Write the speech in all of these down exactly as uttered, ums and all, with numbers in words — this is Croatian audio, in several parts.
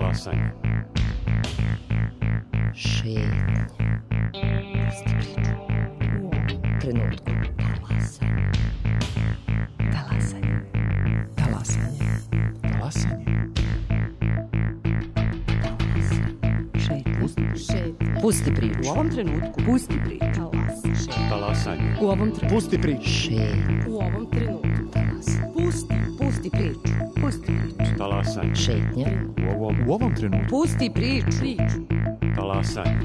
Talasanje. Šetnja. Pusti priču. U ovom trenutku. Talasanje. Talasanje. Talasanje. Talasanje. Šetnja. Pusti priču. U ovom trenutku. Pusti priču. Talasanje. U ovom trenutku. Pusti priču. Šetnja. U ovom trenutku. Talasanje. Pusti. Pusti priču. Pusti priču. Talasanje. Šetnja. U ovom, U ovom trenutku. Pusti priču. Priču. talasanje.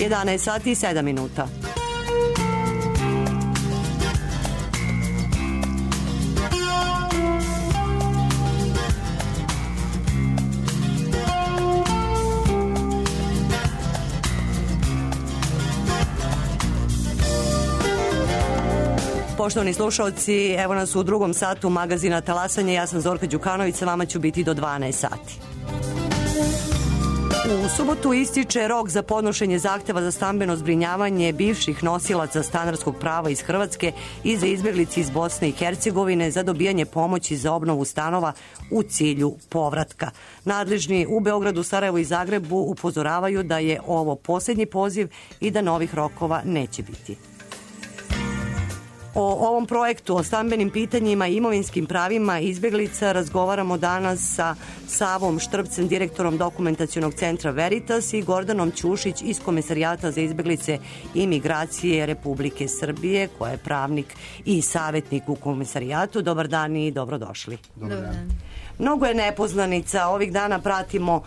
jedanaest sati i sedam minuta. Poštovani slušalci, evo nas u drugom satu magazina Talasanje. Ja sam Zorka Đukanović, sa vama ću biti do dvanaest sati. U subotu ističe rok za podnošenje zahteva za stambeno zbrinjavanje bivših nosilaca stanarskog prava iz Hrvatske i za izbjeglice iz Bosne i Hercegovine za dobijanje pomoći za obnovu stanova u cilju povratka. Nadležni u Beogradu, Sarajevu i Zagrebu upozoravaju da je ovo posljednji poziv i da novih rokova neće biti. O ovom projektu, o stambenim pitanjima i imovinskim pravima izbjeglica razgovaramo danas sa Savom Štrbcem, direktorom dokumentacionog centra Veritas, i Gordanom Ćušić iz Komesarijata za izbjeglice i migracije Republike Srbije, koja je pravnik i savjetnik u Komesarijatu. Dobar dan i dobrodošli. Dobar dan. Mnogo je nepoznanica, ovih dana pratimo uh,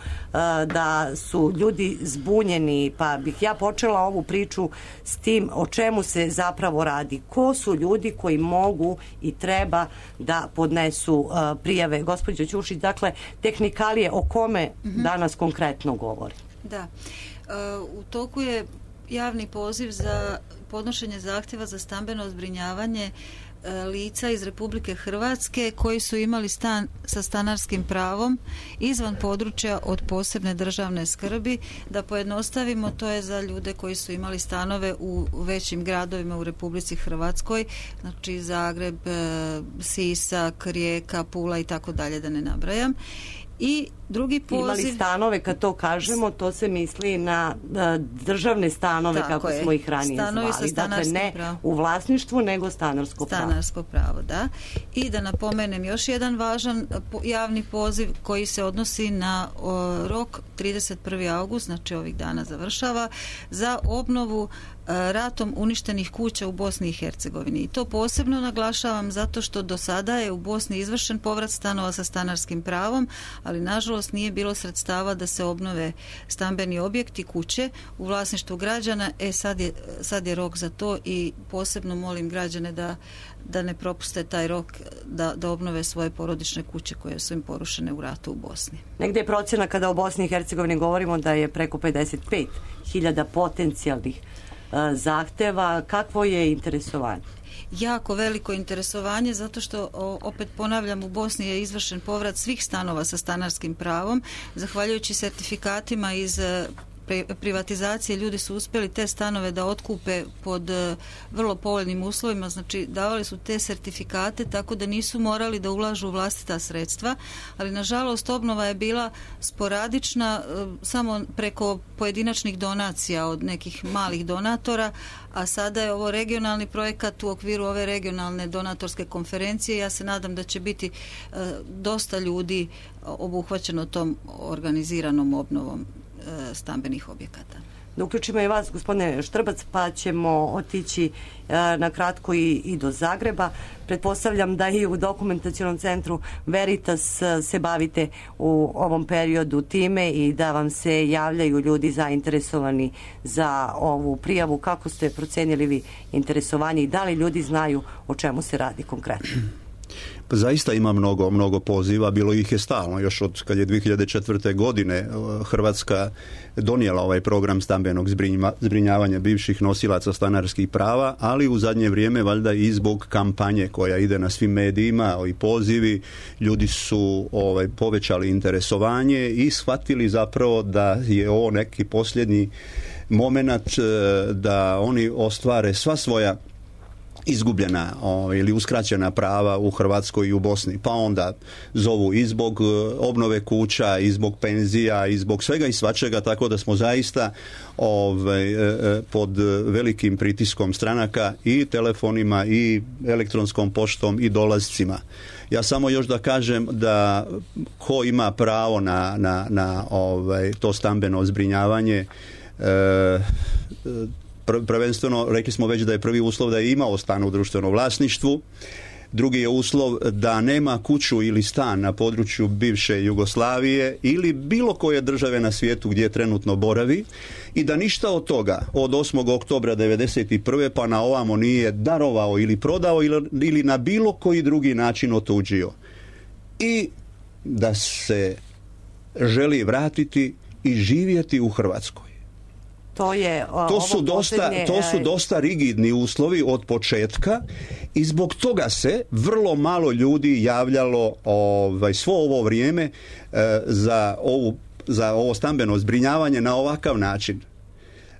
da su ljudi zbunjeni, pa bih ja počela ovu priču s tim o čemu se zapravo radi. Ko su ljudi koji mogu i treba da podnesu uh, prijave? Gospođo Ćušić, dakle, tehnikalije o kome mm-hmm. danas konkretno govori? Da, uh, u toku je javni poziv za podnošenje zahtjeva za stambeno zbrinjavanje lica iz Republike Hrvatske koji su imali stan sa stanarskim pravom izvan područja od posebne državne skrbi. Da pojednostavimo, to je za ljude koji su imali stanove u većim gradovima u Republici Hrvatskoj, znači Zagreb, Sisak, Rijeka, Pula i tako dalje, da ne nabrajam. I drugi poziv... Imali stanove, kad to kažemo, to se misli na državne stanove, tako kako je. Smo ih ranije Stanovi zvali. Dakle, ne pravo. U vlasništvu, nego stanarsko pravo. Stanarsko pravo, da. I da napomenem još jedan važan javni poziv koji se odnosi na o, rok trideset prvi august, znači ovih dana završava, za obnovu ratom uništenih kuća u Bosni i Hercegovini. I to posebno naglašavam zato što do sada je u Bosni izvršen povrat stanova sa stanarskim pravom, ali nažalost nije bilo sredstava da se obnove stambeni objekti, kuće u vlasništvu građana. E sad je, sad je rok za to i posebno molim građane da, da ne propuste taj rok, da, da obnove svoje porodične kuće koje su im porušene u ratu u Bosni. Negde je procjena kada o Bosni i Hercegovini govorimo da je preko pedeset pet hiljada potencijalnih zahteva. Kakvo je interesovanje? Jako veliko interesovanje, zato što, opet ponavljam, u Bosni je izvršen povrat svih stanova sa stanarskim pravom. Zahvaljujući sertifikatima iz privatizacije, ljudi su uspjeli te stanove da otkupe pod vrlo povoljnim uslovima, znači davali su te sertifikate tako da nisu morali da ulažu vlastita sredstva, ali nažalost obnova je bila sporadična, samo preko pojedinačnih donacija od nekih malih donatora, a sada je ovo regionalni projekat u okviru ove regionalne donatorske konferencije. Ja se nadam da će biti dosta ljudi obuhvaćeno tom organiziranom obnovom stambenih objekata. da uključimo i vas, gospodine Štrbac, pa ćemo otići na kratko i, i do Zagreba. Pretpostavljam da i u dokumentacionom centru Veritas se bavite u ovom periodu time i da vam se javljaju ljudi zainteresovani za ovu prijavu. Kako ste procenili vi interesovanje i da li ljudi znaju o čemu se radi konkretno? Pa zaista ima mnogo, mnogo poziva, bilo ih je stalno, još od kad je dvije hiljade četvrte. godine Hrvatska donijela ovaj program stambenog zbrinjavanja bivših nosilaca stanarskih prava, ali u zadnje vrijeme valjda i zbog kampanje koja ide na svim medijima i pozivi, ljudi su ovaj, povećali interesovanje i shvatili zapravo da je ovo neki posljednji momenat da oni ostvare sva svoja izgubljena o, ili uskraćena prava u Hrvatskoj i u Bosni. Pa onda zovu i zbog obnove kuća, i zbog penzija, i zbog svega i svačega, tako da smo zaista ovaj, pod velikim pritiskom stranaka i telefonima i elektronskom poštom i dolazcima. Ja samo još da kažem da ko ima pravo na, na, na ovaj, to stambeno zbrinjavanje, e, prvenstveno, rekli smo već da je prvi uslov da je imao stan u društvenom vlasništvu, drugi je uslov da nema kuću ili stan na području bivše Jugoslavije ili bilo koje države na svijetu gdje trenutno boravi i da ništa od toga od osmog oktobra devedeset prve pa na ovamo nije darovao ili prodao ili, ili na bilo koji drugi način otuđio. I da se želi vratiti i živjeti u Hrvatskoj. To, je, o, to, su dosta, posljednje... to su dosta rigidni uslovi od početka i zbog toga se vrlo malo ljudi javljalo ovaj, svo ovo vrijeme e, za, ovu, za ovo stambeno zbrinjavanje na ovakav način.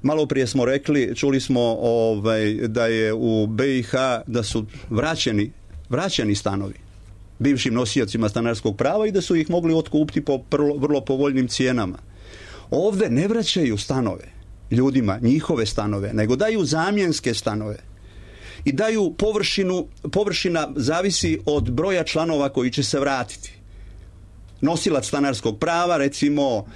Malo prije smo rekli, čuli smo ovaj, da je u B i H da su vraćeni, vraćeni stanovi bivšim nosiocima stanarskog prava i da su ih mogli otkupiti po vrlo, vrlo povoljnim cijenama. Ovdje ne vraćaju stanove ljudima, njihove stanove, nego daju zamjenske stanove i daju površinu, površina zavisi od broja članova koji će se vratiti. Nosilac stanarskog prava, recimo,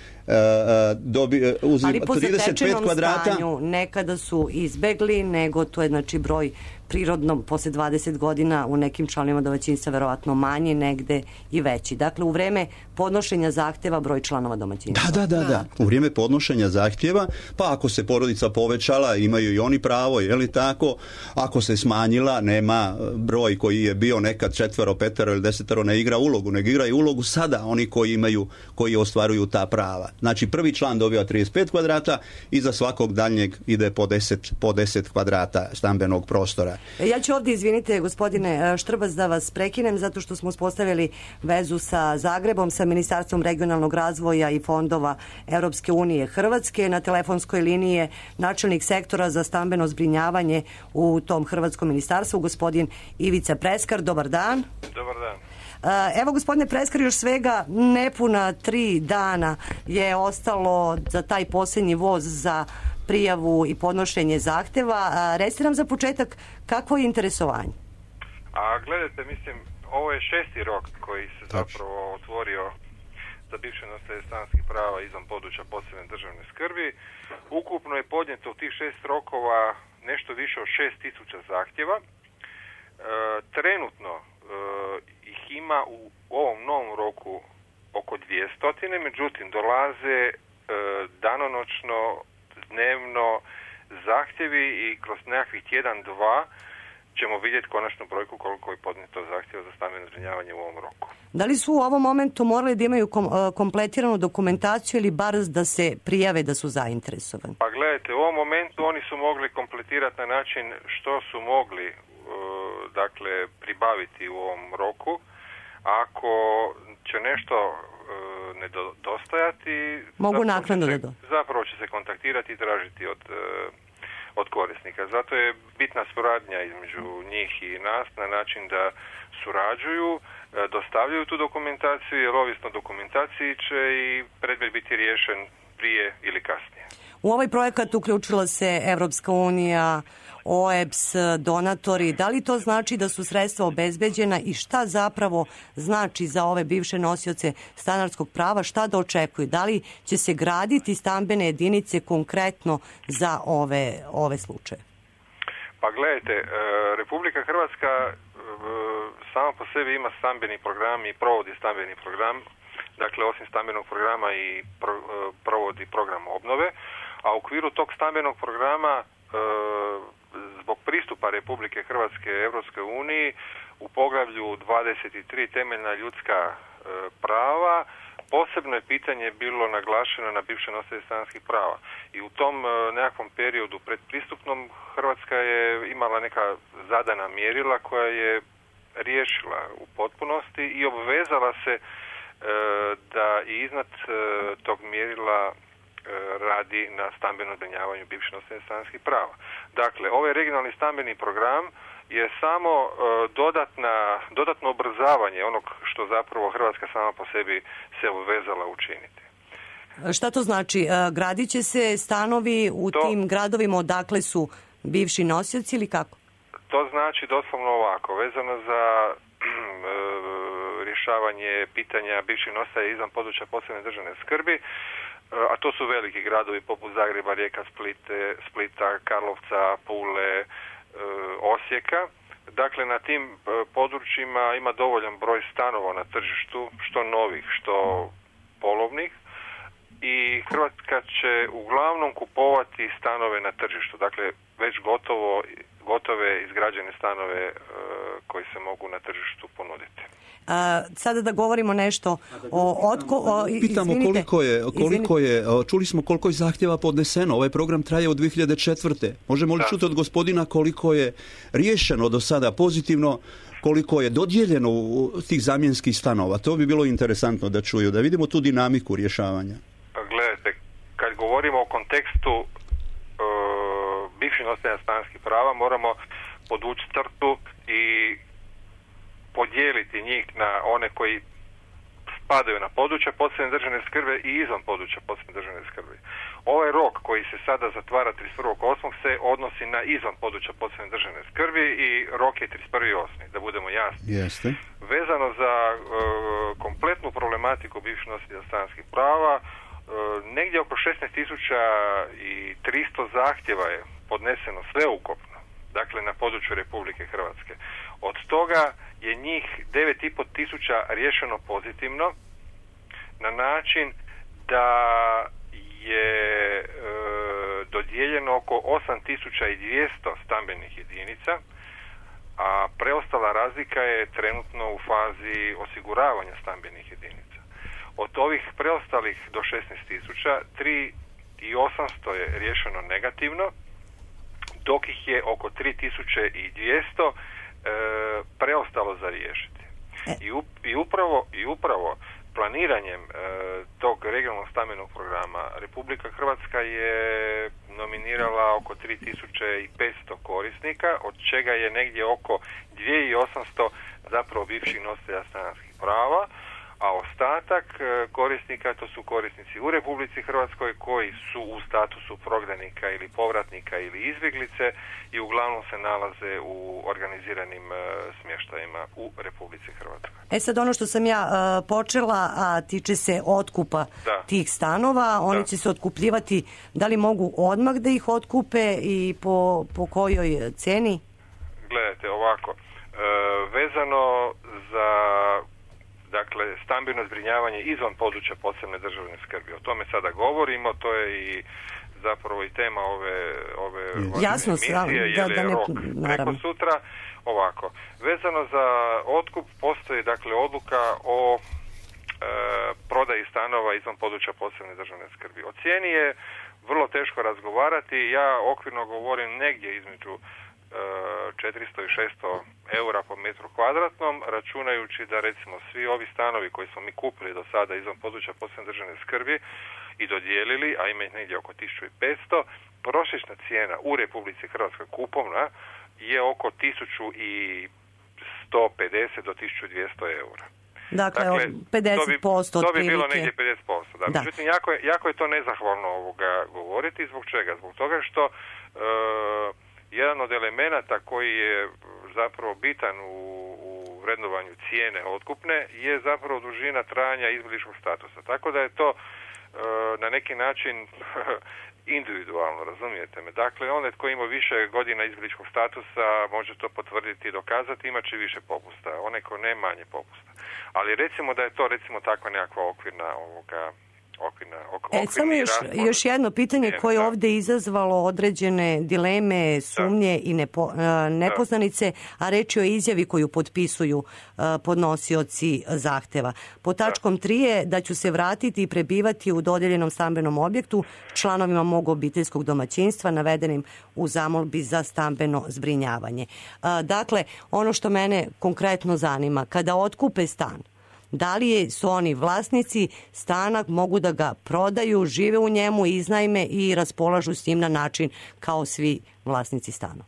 dobi, uzim ali po trideset pet kvadrata. Stanju nekada su izbegli, nego to je znači broj prirodno poslije dvadeset godina u nekim članovima domaćinstva verovatno manji, negde i veći. Dakle, u vreme podnošenja zahtjeva broj članova domaćinstva. Da, da, da, da. U vrijeme podnošenja zahtjeva, pa ako se porodica povećala, imaju i oni pravo, je li tako? Ako se smanjila, nema broj koji je bio nekad četvero, petero ili desetero, ne igra ulogu, nego igra i ulogu sada oni koji imaju, koji ostvaruju ta prava. Znači, prvi član dobiva trideset pet kvadrata i za svakog daljnjeg ide po deset, po deset kvadrata stambenog prostora. Ja ću ovdje, izvinite, gospodine Štrbac, da vas prekinem, zato što smo uspostavili vezu sa Zagrebom, sa Ministarstvom regionalnog razvoja i fondova Europske unije Hrvatske. Na telefonskoj liniji je načelnik sektora za stambeno zbrinjavanje u tom hrvatskom ministarstvu, gospodin Ivica Preskar. Dobar dan. Dobar dan. Evo, gospodine Preskar, još svega nepuna tri dana je ostalo za taj posljednji voz za prijavu i podnošenje zahtjeva. Recite nam za početak kakvo je interesovanje? A gledajte, mislim, ovo je šesti rok koji se zapravo otvorio za bivše nositelje stanarskih prava izvan područja posebne državne skrbi. Ukupno je podnijeto u tih šest rokova nešto više od šest tisuća zahtjeva. E, trenutno e, ih ima u ovom novom roku oko dvjesto, međutim dolaze e, danonoćno, dnevno zahtjevi i kroz nekakvih tjedan, dva ćemo vidjeti konačnu brojku koliko je podnijeto zahtjeva za stambeno zbrinjavanje u ovom roku. Da li su u ovom momentu morali da imaju kom, kompletiranu dokumentaciju ili bar da se prijave da su zainteresovani? Pa gledajte, u ovom momentu oni su mogli kompletirati na način što su mogli uh, dakle pribaviti u ovom roku. Ako će nešto uh, nedostajati, mogu naknadno da do. Zapravo će se kontaktirati i tražiti od uh, od korisnika. Zato je bitna suradnja između njih i nas na način da surađuju, dostavljaju tu dokumentaciju, jer ovisno dokumentaciji će i predmet biti riješen prije ili kasnije. U ovaj projekat uključila se Evropska unija, O E B S, donatori. Da li to znači da su sredstva obezbeđena i šta zapravo znači za ove bivše nosioce stanarskog prava, šta da očekuju? Da li će se graditi stambene jedinice konkretno za ove, ove slučaje? Pa gledajte, Republika Hrvatska sama po sebi ima stambeni program i provodi stambeni program. Dakle, osim stambenog programa i pro, provodi program obnove, a u okviru tog stambenog programa zbog pristupa Republike Hrvatske Europskoj uniji u poglavlju dvadeset tri temeljna ljudska e, prava posebno je pitanje bilo naglašeno na bivše nositelje stanarskih prava. I u tom e, nekakvom periodu predpristupnom Hrvatska je imala neka zadana mjerila koja je riješila u potpunosti i obvezala se e, da i iznad e, tog mjerila radi na stambenom zbrinjavanju bivših nositelja stanarskih prava. Dakle, ovaj regionalni stambeni program je samo uh, dodatna, dodatno ubrzavanje onog što zapravo Hrvatska sama po sebi se obvezala učiniti. Šta to znači? Gradit će se stanovi u to, tim gradovima odakle su bivši nosioci ili kako? To znači doslovno ovako, vezano za rješavanje pitanja bivših nositelja izvan područja posebne državne skrbi, a to su veliki gradovi poput Zagreba, Rijeka, Splite, Splita, Karlovca, Pule, Osijeka. Dakle, na tim područjima ima dovoljan broj stanova na tržištu, što novih, što polovnih, i Hrvatska će uglavnom kupovati stanove na tržištu, dakle već gotovo, gotove izgrađene stanove koji se mogu na tržištu ponuditi. A, sada da govorimo nešto o otko... O, Pitamo izvinite, koliko je, koliko je, čuli smo koliko je zahtjeva podneseno. Ovaj program traje od dvije hiljade četvrte. Možemo li čuti od gospodina koliko je riješeno do sada pozitivno, koliko je dodijeljeno u tih zamjenskih stanova? To bi bilo interesantno da čuju, da vidimo tu dinamiku rješavanja. Gledajte, kad govorimo o kontekstu uh, bivših nositelja stanarskih prava, moramo podvući crtu i podijeliti njih na one koji spadaju na područja posebne državne skrbi i izvan područja posebne državne skrbi. Ovaj rok koji se sada zatvara trideset prvog osmog se odnosi na izvan područja posebne državne skrbi i rok je trideset prvi osmi da budemo jasni. Jeste. Vezano za uh, kompletnu problematiku bivših nositelja stanarskih prava, uh, negdje oko šesnaest tisuća tristo zahtjeva je podneseno sveukupno, dakle na području Republike Hrvatske. Od toga je njih devet i pol tisuća riješeno pozitivno na način da je e, dodijeljeno oko osam tisuća dvjesto stambenih jedinica, a preostala razlika je trenutno u fazi osiguravanja stambenih jedinica. Od ovih preostalih do šesnaest tisuća, tri tisuće osamsto je riješeno negativno, dok ih je oko tri tisuće dvjesto E, preostalo za riješiti. I, up, i, upravo, i upravo planiranjem e, tog regionalnog stambenog programa Republika Hrvatska je nominirala oko tri tisuće petsto korisnika, od čega je negdje oko dvije tisuće osamsto zapravo bivših nositelja stanarskih prava, a ostatak korisnika to su korisnici u Republici Hrvatskoj koji su u statusu prognanika ili povratnika ili izbjeglice i uglavnom se nalaze u organiziranim smještajima u Republici Hrvatskoj. E sad ono što sam ja uh, počela, a tiče se otkupa da. tih stanova, oni da. će se otkupljivati, da li mogu odmah da ih otkupe i po, po kojoj ceni? Gledajte, ovako, e, vezano za dakle, stambeno zbrinjavanje izvan područja posebne državne skrbi. O tome sada govorimo, to je i zapravo i tema ove, ove Jasno, emisije, da, jer je da ne, rok preko naravno. sutra. Ovako, vezano za otkup postoji dakle odluka o e, prodaji stanova izvan područja posebne državne skrbi. O cijeni je vrlo teško razgovarati, ja okvirno govorim negdje između četiristo i šesto eura po metru kvadratnom, računajući da recimo svi ovi stanovi koji smo mi kupili do sada izvan područja posebne državne skrbi i dodijelili, a ima ih negdje oko tisuću petsto, prosječna cijena u Republici Hrvatskoj kupovna je oko tisuću sto pedeset do tisuću dvjesto eura. Dakle, dakle pedeset posto to bi, to bi bilo otprilike. negdje pedeset posto. Da. Da. Međutim, jako je, jako je to nezahvalno ovoga govoriti. zatvoriti. Zbog čega? Zbog toga što e, jedan od elemenata koji je zapravo bitan u, u vrednovanju cijene otkupne je zapravo dužina trajanja izbjegličkog statusa. Tako da je to e, na neki način individualno, razumijete me. Dakle, onaj tko ima više godina izbjegličkog statusa može to potvrditi i dokazati, imat će više popusta. Onaj ko ne, manje popusta. Ali recimo da je to recimo takva nekakva okvirna ovoga okvirna, ok, e, samo još, još jedno pitanje koje je ovdje izazvalo određene dileme, sumnje da. i nepo, nepoznanice, a reč je o izjavi koju potpisuju podnosioci zahteva. Po tačkom tri je da ću se vratiti i prebivati u dodijeljenom stambenom objektu članovima mog obiteljskog domaćinstva navedenim u zamolbi za stambeno zbrinjavanje. Dakle, ono što mene konkretno zanima, kada otkupe stan, da li su oni vlasnici stana, mogu da ga prodaju, žive u njemu, iznajme i raspolažu s njim na način kao svi vlasnici stana?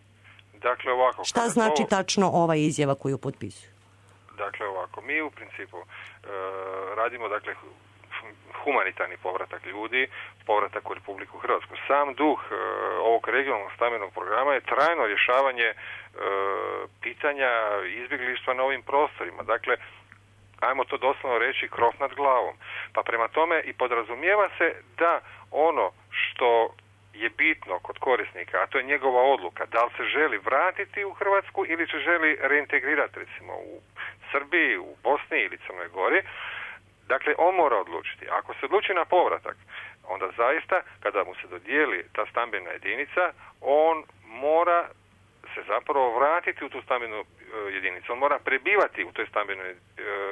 Dakle, ovako. Šta znači to... tačno ova izjava koju potpisuju? Dakle, ovako. Mi u principu e, radimo, dakle, humanitarni povratak ljudi, povratak u Republiku Hrvatsku. Sam duh e, ovog regionalnog stambenog programa je trajno rješavanje e, pitanja izbjeglištva na ovim prostorima. Dakle, ajmo to doslovno reći, krov nad glavom. Pa prema tome i podrazumijeva se da ono što je bitno kod korisnika, a to je njegova odluka, da li se želi vratiti u Hrvatsku ili se želi reintegrirati recimo u Srbiji, u Bosni ili Crnoj Gori, dakle on mora odlučiti. Ako se odluči na povratak, onda zaista kada mu se dodijeli ta stambena jedinica, on mora se zapravo vratiti u tu stambenu jedinicu. On mora prebivati u toj stambenoj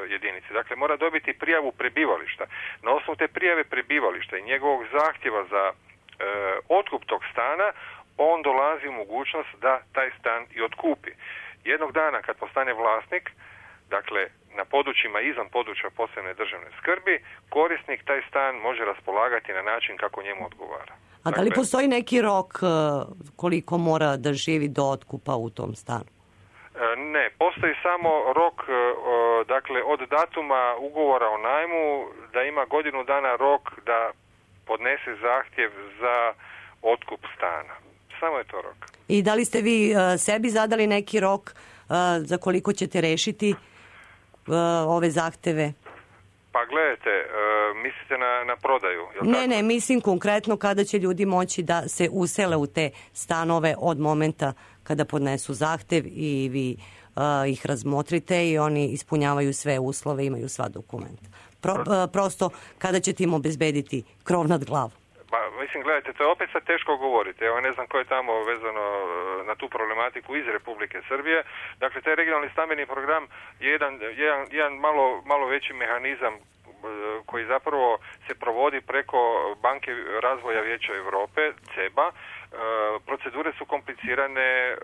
jedinici. Dakle, mora dobiti prijavu prebivališta. Na osnovu te prijave prebivališta i njegovog zahtjeva za e, otkup tog stana, on dolazi u mogućnost da taj stan i otkupi. Jednog dana kad postane vlasnik, dakle, na područjima izvan područja posebne državne skrbi, korisnik taj stan može raspolagati na način kako njemu odgovara. A da li dakle, postoji neki rok koliko mora da živi do otkupa u tom stanu? Ne, postoji samo rok, dakle, od datuma ugovora o najmu, da ima godinu dana rok da podnese zahtjev za otkup stana. Samo je to rok. I da li ste vi sebi zadali neki rok za koliko ćete rešiti ove zahteve? Pa gledajte, mislite na, na prodaju? Ne, tako? ne, mislim konkretno kada će ljudi moći da se usele u te stanove od momenta kada podnesu zahtev i vi uh, ih razmotrite i oni ispunjavaju sve uslove, imaju sva dokumenta. Pro, uh, prosto kada ćete im obezbediti krov nad glavom? Pa, mislim, gledajte, to je opet sad teško govoriti. Evo, ne znam ko je tamo vezano na tu problematiku iz Republike Srbije. Dakle, taj regionalni stambeni program je jedan, jedan, jedan malo, malo veći mehanizam koji zapravo se provodi preko Banke razvoja Vijeća Europe, C E B A. Procedure su komplicirane,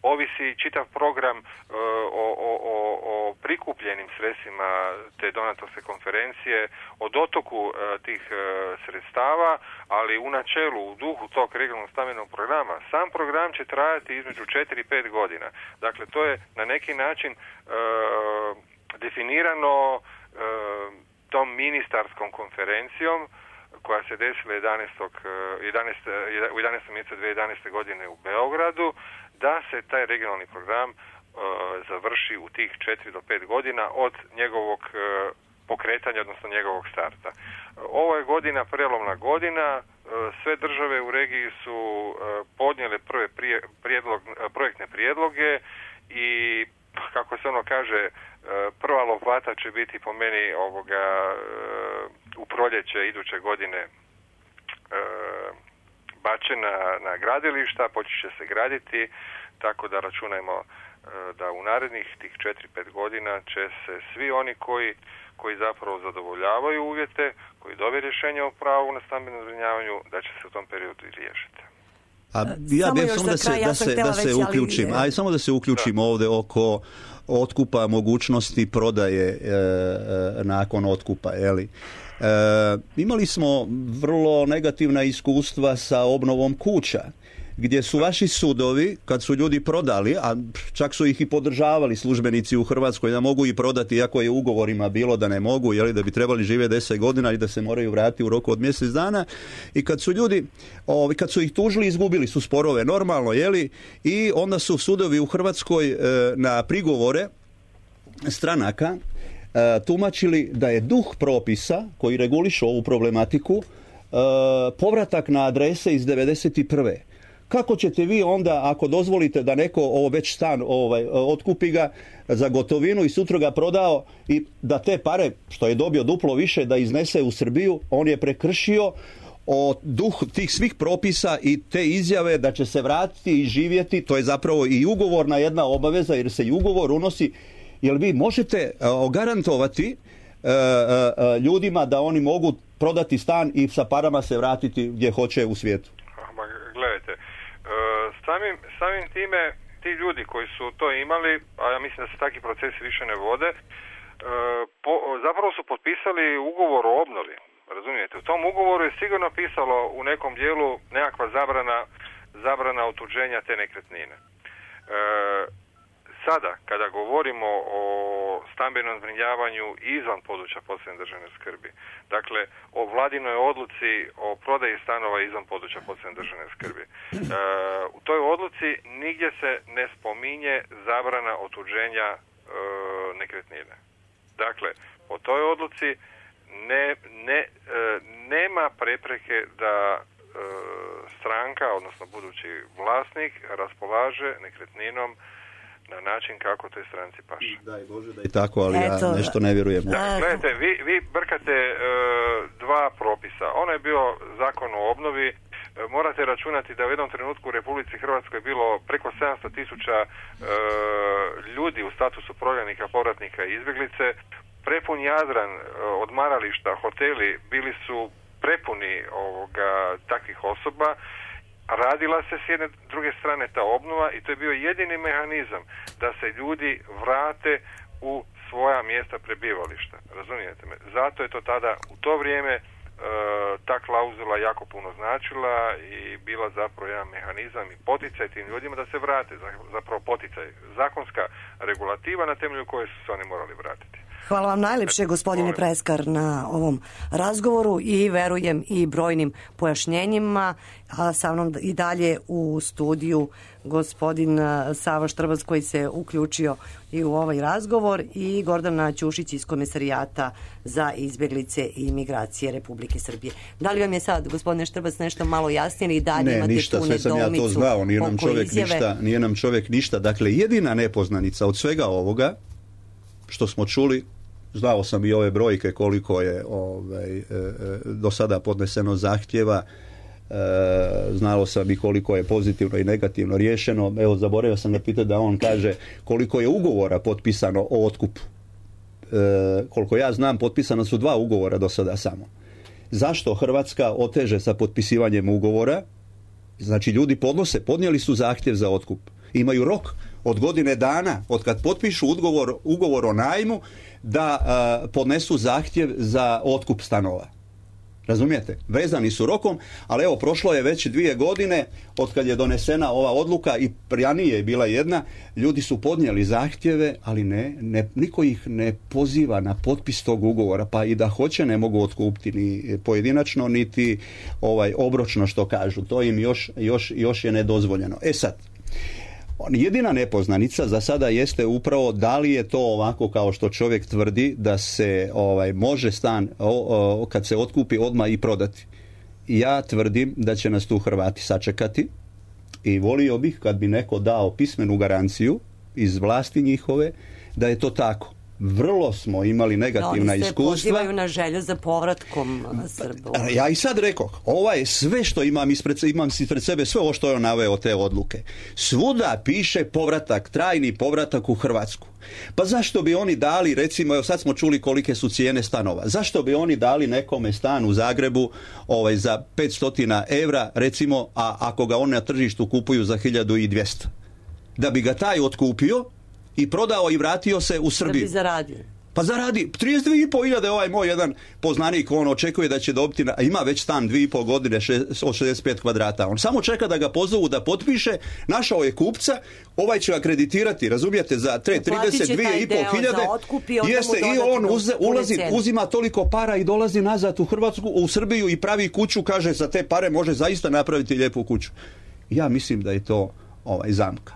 ovisi čitav program o, o, o, o prikupljenim sredstvima te donatorske konferencije, o dotoku tih sredstava, ali u načelu, u duhu tog regionalnog stambenog programa, sam program će trajati između četiri i pet godina. Dakle, to je na neki način e, definirano e, tom ministarskom konferencijom koja se desila jedanaestog u jedanaestom mjesecu dvije tisuće jedanaeste. godine u Beogradu, da se taj regionalni program uh, završi u tih četiri do pet godina od njegovog uh, pokretanja, odnosno njegovog starta. Ovo je godina, prelomna godina, uh, sve države u regiji su uh, podnijele prve prije, prijedlog, uh, projektne prijedloge i kako se ono kaže, prva lopata će biti po meni ovoga u proljeće iduće godine bačena na gradilišta, počet će se graditi, tako da računajmo da u narednih tih četiri pet godina će se svi oni koji, koji zapravo zadovoljavaju uvjete, koji dobiju rješenje o pravu na stambenom zbrinjavanju, da će se u tom periodu i riješiti. A ja bih samo da se, da se, da se uključim, ali... aj samo da se uključim da. ovdje oko otkupa, mogućnosti prodaje e, e, nakon otkupa, je li? E, imali smo vrlo negativna iskustva sa obnovom kuća gdje su vaši sudovi, kad su ljudi prodali, a čak su ih i podržavali službenici u Hrvatskoj da mogu i prodati, iako je u ugovorima bilo da ne mogu, jeli, da bi trebali živjeti deset godina i da se moraju vratiti u roku od mjesec dana, i kad su ljudi, ovi, kad su ih tužili, izgubili su sporove, normalno, jeli, i onda su sudovi u Hrvatskoj e, na prigovore stranaka e, tumačili da je duh propisa koji reguliše ovu problematiku e, povratak na adrese iz devedeset prve. Kako ćete vi onda, ako dozvolite da neko ovo već stan ovaj, otkupi ga za gotovinu i sutra ga prodao i da te pare, što je dobio duplo više, da iznese u Srbiju, on je prekršio o duh tih svih propisa i te izjave da će se vratiti i živjeti, to je zapravo i ugovorna jedna obaveza, jer se i ugovor unosi. Jel vi možete uh, garantovati uh, uh, ljudima da oni mogu prodati stan i sa parama se vratiti gdje hoće u svijetu? Ma, gledajte, uh, samim, samim time ti ljudi koji su to imali, a ja mislim da se takvi procesi više ne vode, uh, po, zapravo su potpisali ugovor o obnovi. Razumijete, u tom ugovoru je sigurno pisalo u nekom dijelu nekakva zabrana, zabrana otuđenja te nekretnine. E, sada, kada govorimo o stambenom zbrinjavanju izvan područja posebne državne skrbi, dakle, o vladinoj odluci o prodaji stanova izvan područja posebne državne skrbi, e, u toj odluci nigdje se ne spominje zabrana otuđenja e, nekretnine. Dakle, po toj odluci Ne, ne, e, nema prepreke da e, stranka, odnosno budući vlasnik, raspolaže nekretninom na način kako toj stranci paše. Daj Bože da je tako, ali Eto, ja nešto ne vjerujem. Da, gledajte, vi, vi brkate e, dva propisa. Ono je bio zakon o obnovi. E, morate računati da u jednom trenutku u Republici Hrvatskoj je bilo preko sedamsto tisuća e, ljudi u statusu prognanika, povratnika i izbjeglice. Prepun Jadran, odmarališta, hoteli bili su prepuni ovoga, takvih osoba. Radila se s jedne druge strane ta obnova i to je bio jedini mehanizam da se ljudi vrate u svoja mjesta prebivališta. Razumijete me? Zato je to tada u to vrijeme e, ta klauzula jako puno značila i bila zapravo jedan mehanizam i poticaj tim ljudima da se vrate. Zapravo poticaj, zakonska regulativa na temelju koje su se oni morali vratiti. Hvala vam najljepše, gospodine Preskar, na ovom razgovoru i verujem i brojnim pojašnjenjima. A sa mnom i dalje u studiju gospodin Sava Štrbac koji se uključio i u ovaj razgovor i Gordana Ćušić iz Komesarijata za izbjeglice i migracije Republike Srbije. Da li vam je sad, gospodine Štrbac, nešto malo jasnije i dalje ne, imate ništa, tu sve sam ja to znao, nije nam čovjek izjave? ništa, nije nam čovjek ništa. Dakle, jedina nepoznanica od svega ovoga što smo čuli, znao sam i ove brojke koliko je ovaj, e, do sada podneseno zahtjeva, e, znao sam i koliko je pozitivno i negativno riješeno. Evo, zaboravio sam ga pitati da on kaže koliko je ugovora potpisano o otkupu. E, koliko ja znam, potpisana su dva ugovora do sada samo. Zašto Hrvatska oteže sa potpisivanjem ugovora? Znači, ljudi podnose, podnijeli su zahtjev za otkup. Imaju rok od godine dana, od kad potpišu ugovor, ugovor o najmu, da uh, podnesu zahtjev za otkup stanova. Razumijete? Vezani su rokom, ali evo, prošlo je već dvije godine od kad je donesena ova odluka i ranije je bila jedna, ljudi su podnijeli zahtjeve, ali ne, ne, niko ih ne poziva na potpis tog ugovora, pa i da hoće ne mogu otkupiti ni pojedinačno, niti ovaj, obročno što kažu. To im još, još, još je nedozvoljeno. E sad, jedina nepoznanica za sada jeste upravo da li je to ovako kao što čovjek tvrdi da se ovaj, može stan o, o, kad se otkupi odmah i prodati. Ja tvrdim da će nas tu Hrvati sačekati i volio bih kad bi neko dao pismenu garanciju iz vlasti njihove da je to tako. Vrlo smo imali negativna no, iskustva. Oni se pozivaju na želju za povratkom Srba. Ja i sad rekoh, ovaj sve što imam ispred, imam ispred sebe, sve ovo što je on naveo te odluke. Svuda piše povratak, trajni povratak u Hrvatsku. Pa zašto bi oni dali, recimo, evo sad smo čuli kolike su cijene stanova. Zašto bi oni dali nekome stan u Zagrebu ovaj, za petsto evra, recimo, a ako ga oni na tržištu kupuju za hiljadu dvjesto? Da bi ga taj otkupio i prodao i vratio se u Srbiju. Da bi zaradio. Pa zaradi trideset dvije i pol hiljade, ovaj moj jedan poznanik, on očekuje da će dobiti, a ima već stan dvije i pol godine od šezdeset pet kvadrata. On samo čeka da ga pozovu da potpiše, našao je kupca, ovaj će ga kreditirati, razumijete, za trideset dvije i pol hiljade. Jeste, i on uze, ulazi, uzima toliko para i dolazi nazad u Hrvatsku, u Srbiju i pravi kuću, kaže za te pare može zaista napraviti lijepu kuću. Ja mislim da je to ovaj zamka.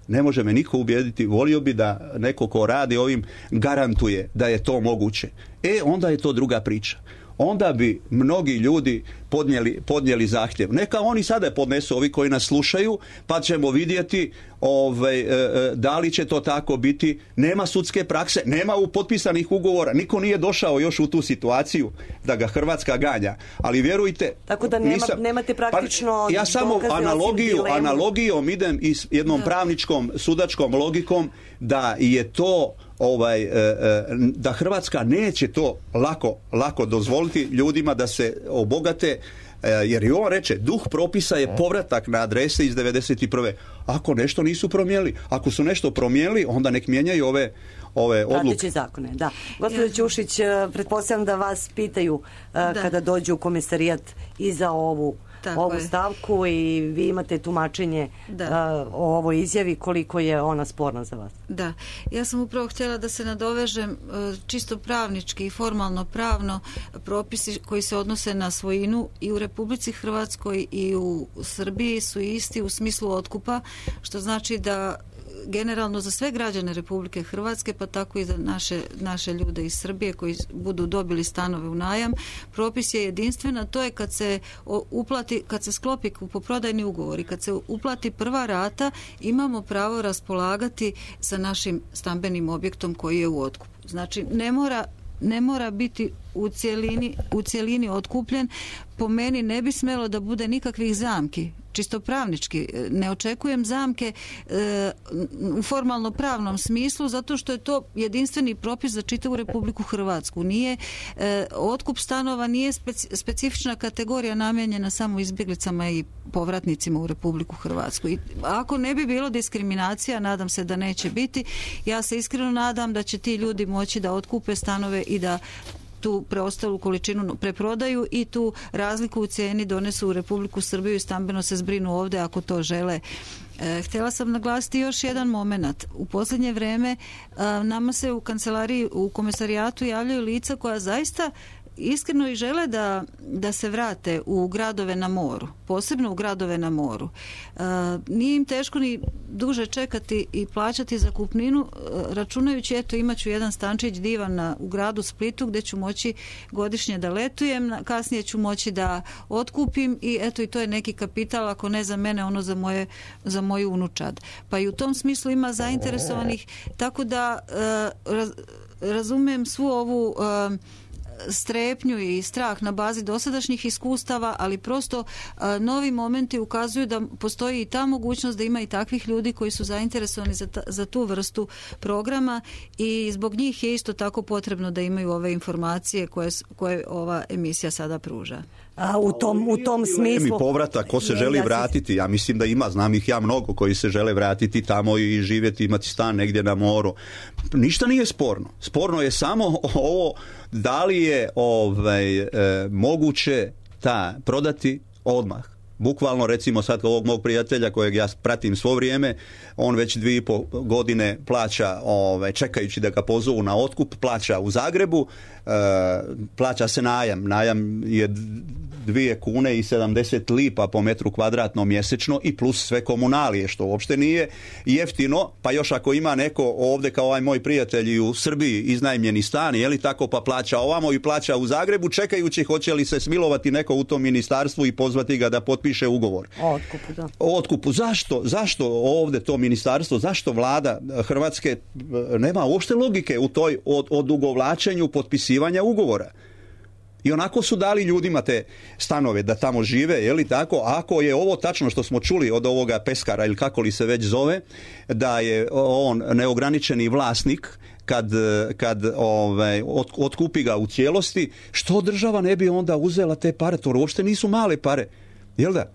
Ne može me niko ubijediti, volio bi da neko ko radi ovim garantuje da je to moguće. E, onda je to druga priča. Onda bi mnogi ljudi podnijeli, podnijeli zahtjev. Neka oni sada podnesu, ovi koji nas slušaju, pa ćemo vidjeti ovaj, da li će to tako biti. Nema sudske prakse, nema u potpisanih ugovora, niko nije došao još u tu situaciju da ga Hrvatska ganja. Ali vjerujte... Tako da nema, nisam, nemate praktično... Pa, ja samo analogiju, analogijom idem i s jednom da. pravničkom, sudačkom logikom da je to... Ovaj, da Hrvatska neće to lako, lako dozvoliti ljudima da se obogate, jer i on reče, duh propisa je povratak na adrese iz devedeset prve. Ako nešto nisu promijenili, ako su nešto promijenili, onda nek mijenjaju ove ove odluke. Prateći zakone, da. Gospođo Ćušić, pretpostavljam da vas pitaju da. kada dođu u komisarijat i za ovu Tako ovu je. stavku i vi imate tumačenje da. uh, o ovoj izjavi, koliko je ona sporna za vas. Da, ja sam upravo htjela da se nadovežem uh, čisto pravnički i formalno pravno propisi koji se odnose na svojinu i u Republici Hrvatskoj i u Srbiji su isti u smislu otkupa, što znači da generalno za sve građane Republike Hrvatske, pa tako i za naše, naše ljude iz Srbije koji budu dobili stanove u najam, propis je jedinstven, a to je kad se uplati, kad se sklopi kupoprodajni ugovor i kad se uplati prva rata, imamo pravo raspolagati sa našim stambenim objektom koji je u otkupu. Znači, ne mora ne mora biti u cjelini, u cjelini otkupljen. Po meni ne bi smjelo da bude nikakvih zamki. Čisto pravnički. Ne očekujem zamke e, u formalno pravnom smislu, zato što je to jedinstveni propis za čitavu Republiku Hrvatsku. Nije, e, otkup stanova nije speci, specifična kategorija namijenjena samo izbjeglicama i povratnicima u Republiku Hrvatsku. I ako ne bi bilo diskriminacija, nadam se da neće biti, ja se iskreno nadam da će ti ljudi moći da otkupe stanove i da tu preostalu količinu preprodaju i tu razliku u cijeni donesu u Republiku Srbiju i stambeno se zbrinu ovdje ako to žele. E, htjela sam naglasiti još jedan moment. U posljednje vrijeme a, nama se u kancelariji, u komisarijatu javljaju lica koja zaista iskreno i žele da, da se vrate u gradove na moru, posebno u gradove na moru. E, nije im teško ni duže čekati i plaćati zakupninu, e, računajući, eto, imat ću jedan stančić divan na, u gradu Splitu gdje ću moći godišnje da letujem, kasnije ću moći da otkupim i eto, i to je neki kapital, ako ne za mene, ono za, moje, za moju unučad. Pa i u tom smislu ima zainteresovanih, tako da e, raz, razumijem svu ovu e, strepnju i strah na bazi dosadašnjih iskustava, ali prosto a, novi momenti ukazuju da postoji i ta mogućnost da ima i takvih ljudi koji su zainteresovani za, ta, za tu vrstu programa i zbog njih je isto tako potrebno da imaju ove informacije koje, koje ova emisija sada pruža. A u tom, u tom smislu... Mi povratak, ko se želi vratiti, ja mislim da ima, znam ih ja mnogo koji se žele vratiti tamo i živjeti, imati stan negdje na moru. Ništa nije sporno. Sporno je samo ovo da li je ovaj, e, moguće ta prodati odmah. Bukvalno, recimo sad ovog mog prijatelja kojeg ja pratim svo vrijeme, on već dvije i pol godine plaća, ovaj, čekajući da ga pozovu na otkup, plaća u Zagrebu, e, plaća se najam. Najam je dvije kune i sedamdeset lipa po metru kvadratnom mjesečno i plus sve komunalije, što uopšte nije jeftino, pa još ako ima neko ovdje kao ovaj moj prijatelj u Srbiji iznajmljeni stan, je li tako, pa plaća ovamo i plaća u Zagrebu, čekajući hoće li se smilovati neko u tom ministarstvu i pozvati ga da potpiše ugovor. O otkupu, da. O otkupu. Zašto? Zašto ovdje to ministarstvo, zašto vlada Hrvatske nema uopšte logike u toj od, odugovlačenju potpisivanja ugovora? I onako su dali ljudima te stanove da tamo žive, je li tako? Ako je ovo tačno što smo čuli od ovoga peskara ili kako li se već zove, da je on neograničeni vlasnik, kad, kad ovaj, otkupi ga u cijelosti, što država ne bi onda uzela te pare? To uopšte nisu male pare, jel da?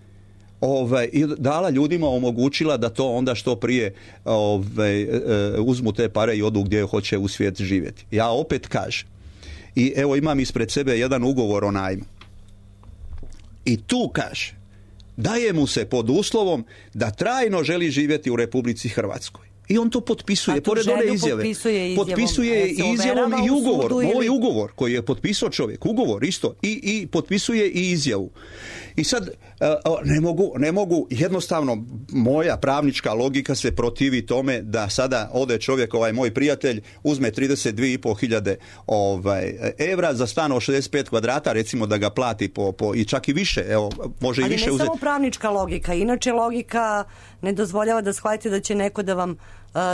ovaj, i dala ljudima, omogućila da to onda što prije ovaj, uzmu te pare i odu gdje hoće u svijet živjeti. Ja opet kažem, i evo imam ispred sebe jedan ugovor o najmu. I tu kaže, daje mu se pod uslovom da trajno želi živjeti u Republici Hrvatskoj. I on to potpisuje, pored one izjave. Potpisuje izjavom, potpisuje izjavom i ugovor. Moj ili... ugovor koji je potpisao čovjek, ugovor isto, i, i potpisuje i izjavu. I sad ne mogu, ne mogu, jednostavno moja pravnička logika se protivi tome da sada ode čovjek, ovaj moj prijatelj, uzme trideset dvije i pol hiljade ovaj, evra za stan od šezdeset pet kvadrata, recimo da ga plati po, po i čak i više, evo, može ali i više uzeti. Ali ne samo pravnička logika, inače logika ne dozvoljava da shvatite da će neko da vam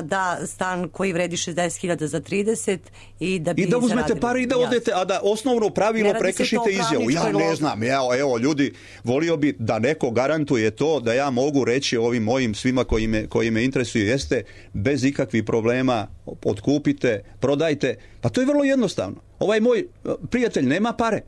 da stan koji vredi šezdeset hiljada za trideset i da bi I da uzmete zaradili. pare i da odete, a da osnovno pravilo prekršite izjavu. Ja ne log... znam, evo, evo ljudi, volio bi da neko garantuje to da ja mogu reći ovim mojim svima koji me, koji me interesuju, jeste bez ikakvih problema, otkupite, prodajte. Pa to je vrlo jednostavno. Ovaj moj prijatelj nema pare.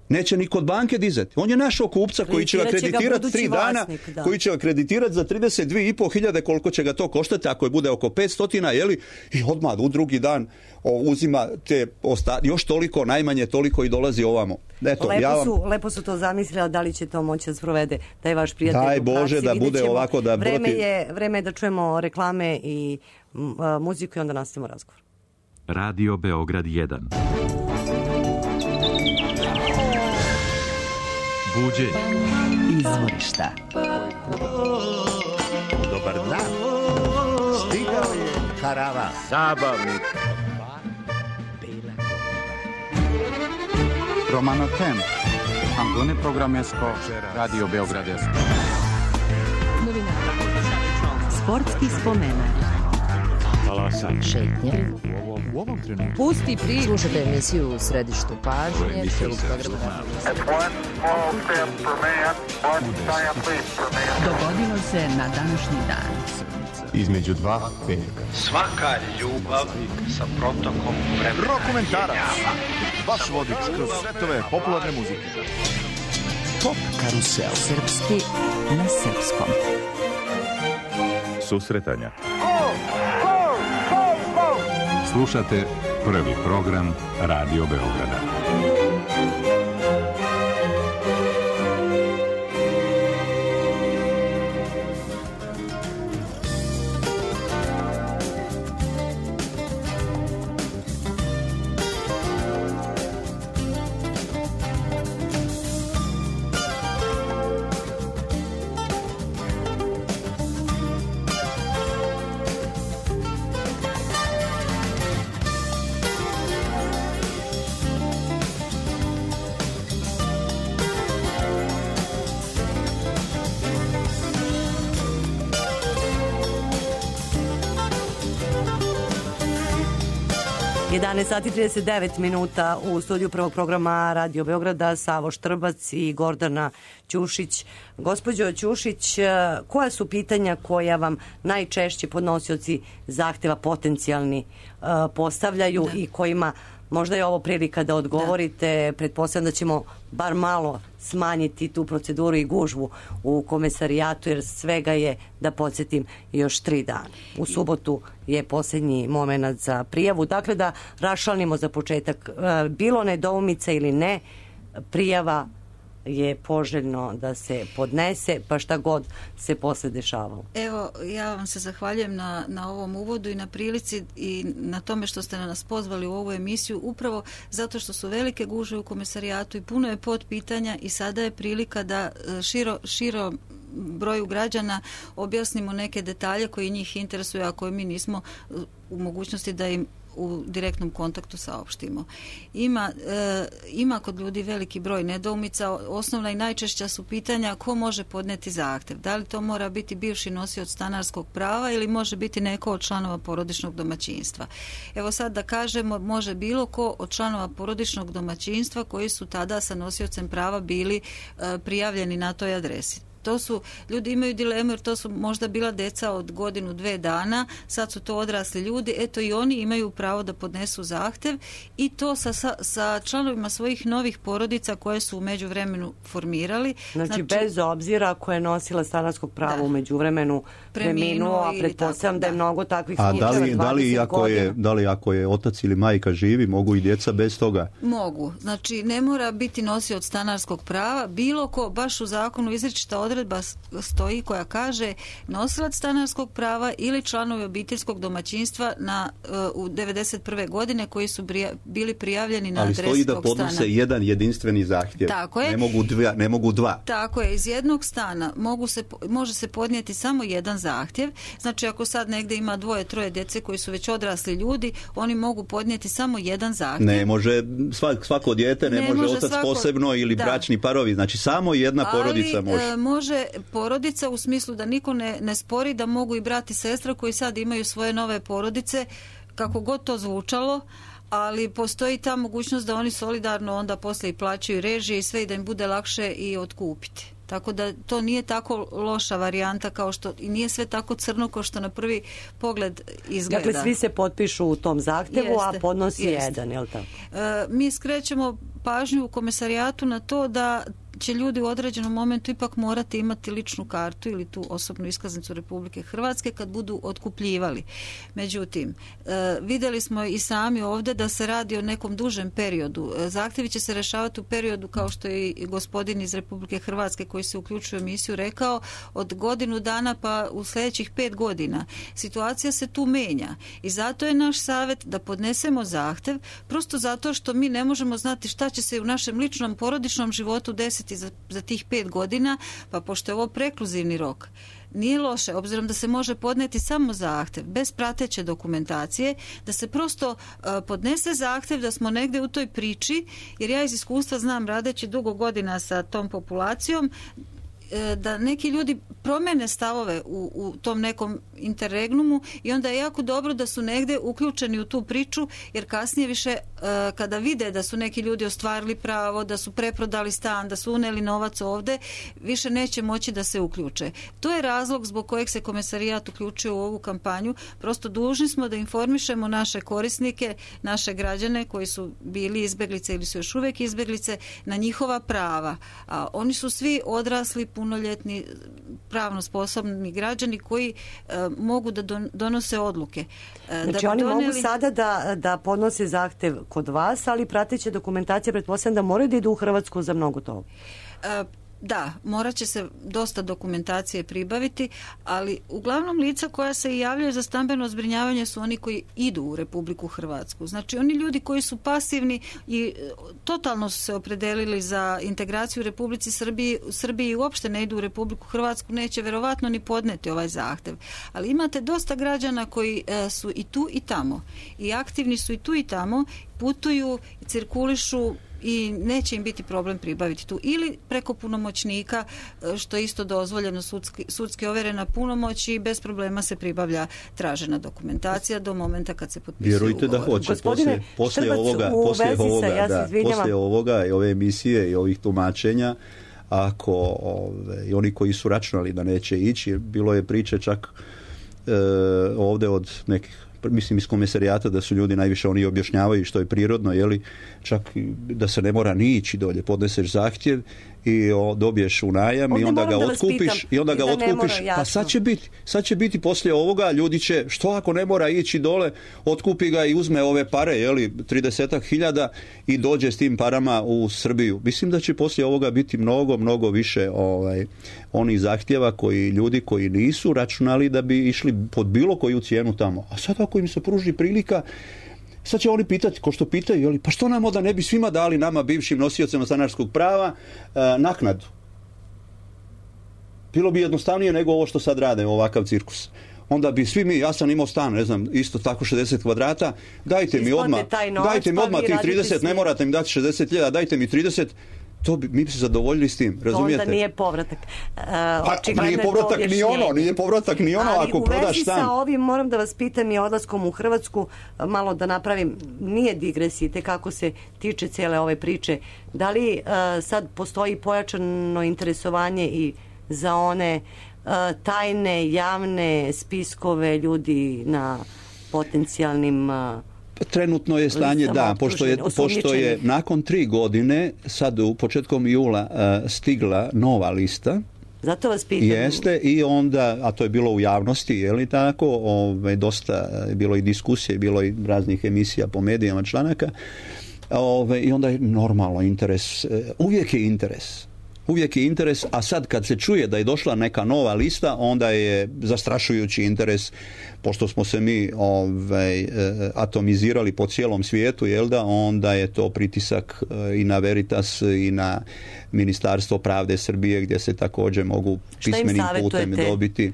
Neće ni kod banke dizati. On je našao kupca koji će ga kreditirati tri dana, vlasnik, koji će ga kreditirati za trideset dvije i pol hiljade, koliko će ga to koštati, ako je bude oko petsto, jeli, i odmah u drugi dan o, uzima te osta, još toliko, najmanje toliko i dolazi ovamo. Eto, lepo, ja vam... su, lepo su to zamislili, da li će to moći da sprovede, da je vaš prijatelj Daj u praksi. Bože da bude ovako da... Vreme je, vreme je da čujemo reklame i m, a, muziku i onda nastavimo razgovor. Radio Beograd jedan. Buđenje. Izvorišta. Dobar dan. Stigao je karavan. Zabavnik. Romano Tem. Antone Programesko. Radio Beograd jedan. Sportski spomenak. Talasanje. Šetnje. U ovom trenutku. Pusti priču. Slušajte emisiju u središtu pažnje. Dogodilo se na današnji dan. Između dva petka. Svaka ljubav sa protokom vremena. Rokomentarac. Vaš vodič kroz svetove popularne muzike. Top karusel. Srpski na srpskom. Susretanja. Slušate prvi program Radio Beograda. jedanaest sati i trideset devet minuta u studiju prvog programa Radio Beograda, Savo Štrbac i Gordana Ćušić. Gospođo Ćušić, koja su pitanja koja vam najčešće podnosioci zahteva potencijalni uh, postavljaju da. I kojima možda je ovo prilika da odgovorite? Da. Pretpostavljam da ćemo bar malo smanjiti tu proceduru i gužvu u komesarijatu, jer svega je, da podsjetim, još tri dana. U subotu je posljednji moment za prijavu. Dakle, da raščlanimo za početak, bilo nedoumica ili ne, prijava je poželjno da se podnese, pa šta god se posle dešavalo. Evo, ja vam se zahvaljujem na, na ovom uvodu i na prilici i na tome što ste nas pozvali u ovu emisiju, upravo zato što su velike gužve u komesarijatu i puno je podpitanja i sada je prilika da širo, širo broju građana objasnimo neke detalje koji njih interesuju, a koje mi nismo u mogućnosti da im u direktnom kontaktu saopštimo. Ima, e, ima kod ljudi veliki broj nedoumica. Osnovna i najčešća su pitanja ko može podneti zahtjev. Da li to mora biti bivši nosioc stanarskog prava ili može biti neko od članova porodičnog domaćinstva. Evo sad da kažemo, može bilo ko od članova porodičnog domaćinstva koji su tada sa nosiocem prava bili e, prijavljeni na toj adresi. to su, ljudi imaju dilemu jer to su možda bila deca od godinu, dve dana, sad su to odrasli ljudi, eto i oni imaju pravo da podnesu zahtjev i to sa, sa, sa članovima svojih novih porodica koje su u međuvremenu formirali. Znači, znači bez obzira ko je nosila stanarskog prava u međuvremenu preminuo, a pretpostavljam da je mnogo takvih slučajeva. A da li, da li ako je, da li ako je otac ili majka živi, mogu i djeca bez toga? Mogu. Znači, ne mora biti nosioc stanarskog prava. Bilo ko, baš u zakonu izričita odredba stoji koja kaže nosilac stanarskog prava ili članovi obiteljskog domaćinstva na, u devedeset prve godine koji su brija, bili prijavljeni na adresu tog stana. Ali stoji da podnose jedan jedinstveni zahtjev. Tako je. Ne mogu dva. Ne mogu dva. Tako je. Iz jednog stana mogu se, može se podnijeti samo jedan zahtjev. Znači, ako sad negdje ima dvoje, troje djece koji su već odrasli ljudi, oni mogu podnijeti samo jedan zahtjev. Ne može svak, svako dijete, ne, ne može, može otac svako, posebno ili da. bračni parovi. Znači, samo jedna Ali, porodica može. E, može porodica u smislu da niko ne, ne spori da mogu i brat i sestra koji sad imaju svoje nove porodice, kako god to zvučalo, ali postoji ta mogućnost da oni solidarno onda poslije i plaćaju režije i sve i da im bude lakše i otkupiti. Tako da to nije tako loša varijanta kao što, i nije sve tako crno kao što na prvi pogled izgleda. Dakle, svi se potpišu u tom zahtjevu, jeste, a podnosi jeste. jedan, je li tako? E, mi skrećemo pažnju u komisarijatu na to da će ljudi u određenom momentu ipak morati imati ličnu kartu ili tu osobnu iskaznicu Republike Hrvatske kad budu otkupljivali. Međutim, e, vidjeli smo i sami ovdje da se radi o nekom dužem periodu. E, zahtjevi će se rešavati u periodu, kao što je i gospodin iz Republike Hrvatske koji se uključuje u emisiju rekao, od godinu dana pa u sljedećih pet godina. Situacija se tu menja i zato je naš savjet da podnesemo zahtjev, prosto zato što mi ne možemo znati šta će se u našem ličnom porodičnom životu desiti Za, za tih pet godina, pa pošto je ovo prekluzivni rok, nije loše, obzirom da se može podneti samo zahtjev, bez prateće dokumentacije, da se prosto uh, podnese zahtjev da smo negdje u toj priči, jer ja iz iskustva znam, radeći dugo godina sa tom populacijom, da neki ljudi promene stavove u, u tom nekom interregnumu i onda je jako dobro da su negdje uključeni u tu priču, jer kasnije više kada vide da su neki ljudi ostvarili pravo, da su preprodali stan, da su uneli novac ovdje, više neće moći da se uključe. To je razlog zbog kojeg se komisarijat uključio u ovu kampanju. Prosto dužni smo da informišemo naše korisnike, naše građane koji su bili izbjeglice ili su još uvijek izbjeglice, na njihova prava. A oni su svi odrasli, punoljetni, pravno sposobni građani koji e, mogu da don, donose odluke. E, znači da oni donijeli... mogu sada da, da podnose zahtev kod vas, ali prateće dokumentacija, pretpostavljam da moraju da idu u Hrvatsku za mnogo toga. E, Da, morat će se dosta dokumentacije pribaviti, ali uglavnom lica koja se javljaju za stambeno zbrinjavanje su oni koji idu u Republiku Hrvatsku. Znači oni ljudi koji su pasivni i totalno su se opredelili za integraciju u Republici Srbiji, Srbiji i uopšte ne idu u Republiku Hrvatsku, neće verovatno ni podneti ovaj zahtev. Ali imate dosta građana koji e, su i tu i tamo i aktivni su i tu i tamo, putuju, cirkulišu i neće im biti problem pribaviti tu. Ili preko punomoćnika, što je isto dozvoljeno, sudski, sudski overena punomoć i bez problema se pribavlja tražena dokumentacija do momenta kad se potpisuje Vjerujte ugovor. da hoće. Gospodine, poslije, poslije ovoga, poslije ovoga, ja da, poslije ovoga i ove emisije i ovih tumačenja, ako ove, i oni koji su računali da neće ići, bilo je priče čak e, ovdje od nekih, mislim iz komisarijata, da su ljudi najviše, oni objašnjavaju što je prirodno, jeli, čak da se ne mora ni ići dolje, podneseš zahtjev i o, dobiješ u najam. Ovdje i onda ga otkupiš i onda ga otkupiš, pa sad će biti sad će biti poslije ovoga, ljudi će, što ako ne mora ići dole, otkupi ga i uzme ove pare, jeli, tridesetak hiljada i dođe s tim parama u Srbiju. Mislim da će poslije ovoga biti mnogo, mnogo više ovaj, onih zahtjeva koji ljudi koji nisu računali da bi išli pod bilo koju cijenu tamo. A sad ako im se pruži prilika, sad će oni pitati, ko što pitaju, jeli, pa što nam onda ne bi svima dali, nama bivšim nosiocima stanarskog prava, e, naknadu? Bilo bi jednostavnije nego ovo što sad rade, ovakav cirkus. Onda bi svi mi, ja sam imao stan, ne znam, isto tako šezdeset kvadrata, dajte mi odmah, dajte mi odmah tih trideset, ne morate mi dati šezdeset hiljada, dajte mi trideset, to bi, mi bi se zadovoljili s tim, razumijete? Onda nije povratak. Uh, pa, nije povratak ni ono, nije povratak ni ono ako prodaš stan. Ali u vezi sa ovim moram da vas pitam i odlaskom u Hrvatsku, malo da napravim, nije digresije, kako se tiče cijele ove priče. Da li uh, sad postoji pojačano interesovanje i za one uh, tajne, javne spiskove ljudi na potencijalnim uh, trenutno je stanje da, pošto je, pošto je nakon tri godine sad u početkom jula uh, stigla nova lista. Zato vas pitam. Jeste, i onda, a to je bilo u javnosti, je li tako, ove, dosta je bilo i diskusije, bilo i raznih emisija po medijama, članaka, ove, i onda je normalno interes, uvijek je interes. Uvijek je interes, a sad kad se čuje da je došla neka nova lista, onda je zastrašujući interes, pošto smo se mi ovaj, atomizirali po cijelom svijetu, jel da, onda je to pritisak i na Veritas i na Ministarstvo pravde Srbije, gdje se također mogu pismenim putem dobiti.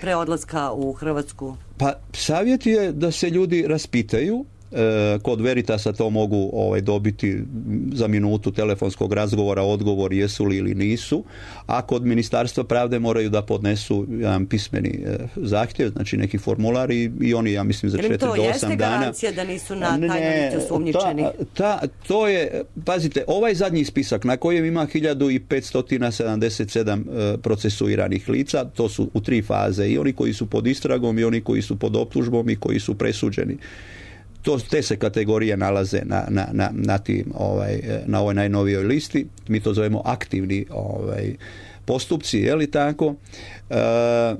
Pre odlaska u Hrvatsku? Pa savjet je da se ljudi raspitaju. Kod Veritasa to mogu ovaj, dobiti za minutu telefonskog razgovora, odgovor jesu li ili nisu, a kod Ministarstva pravde moraju da podnesu jedan pismeni eh, zahtjev, znači neki formular i, i oni, ja mislim, za četiri do osam dana. To jeste garancija da nisu na tajnoj listi osumnjičeni? Ta, ta, to je, pazite, ovaj zadnji spisak na kojem ima hiljadu petsto sedamdeset sedam eh, procesuiranih lica, to su u tri faze, i oni koji su pod istragom i oni koji su pod optužbom i koji su presuđeni. To, te se kategorije nalaze na, na, na, na, tim, ovaj, na ovoj najnovijoj listi. Mi to zovemo aktivni ovaj, postupci, je li tako? E,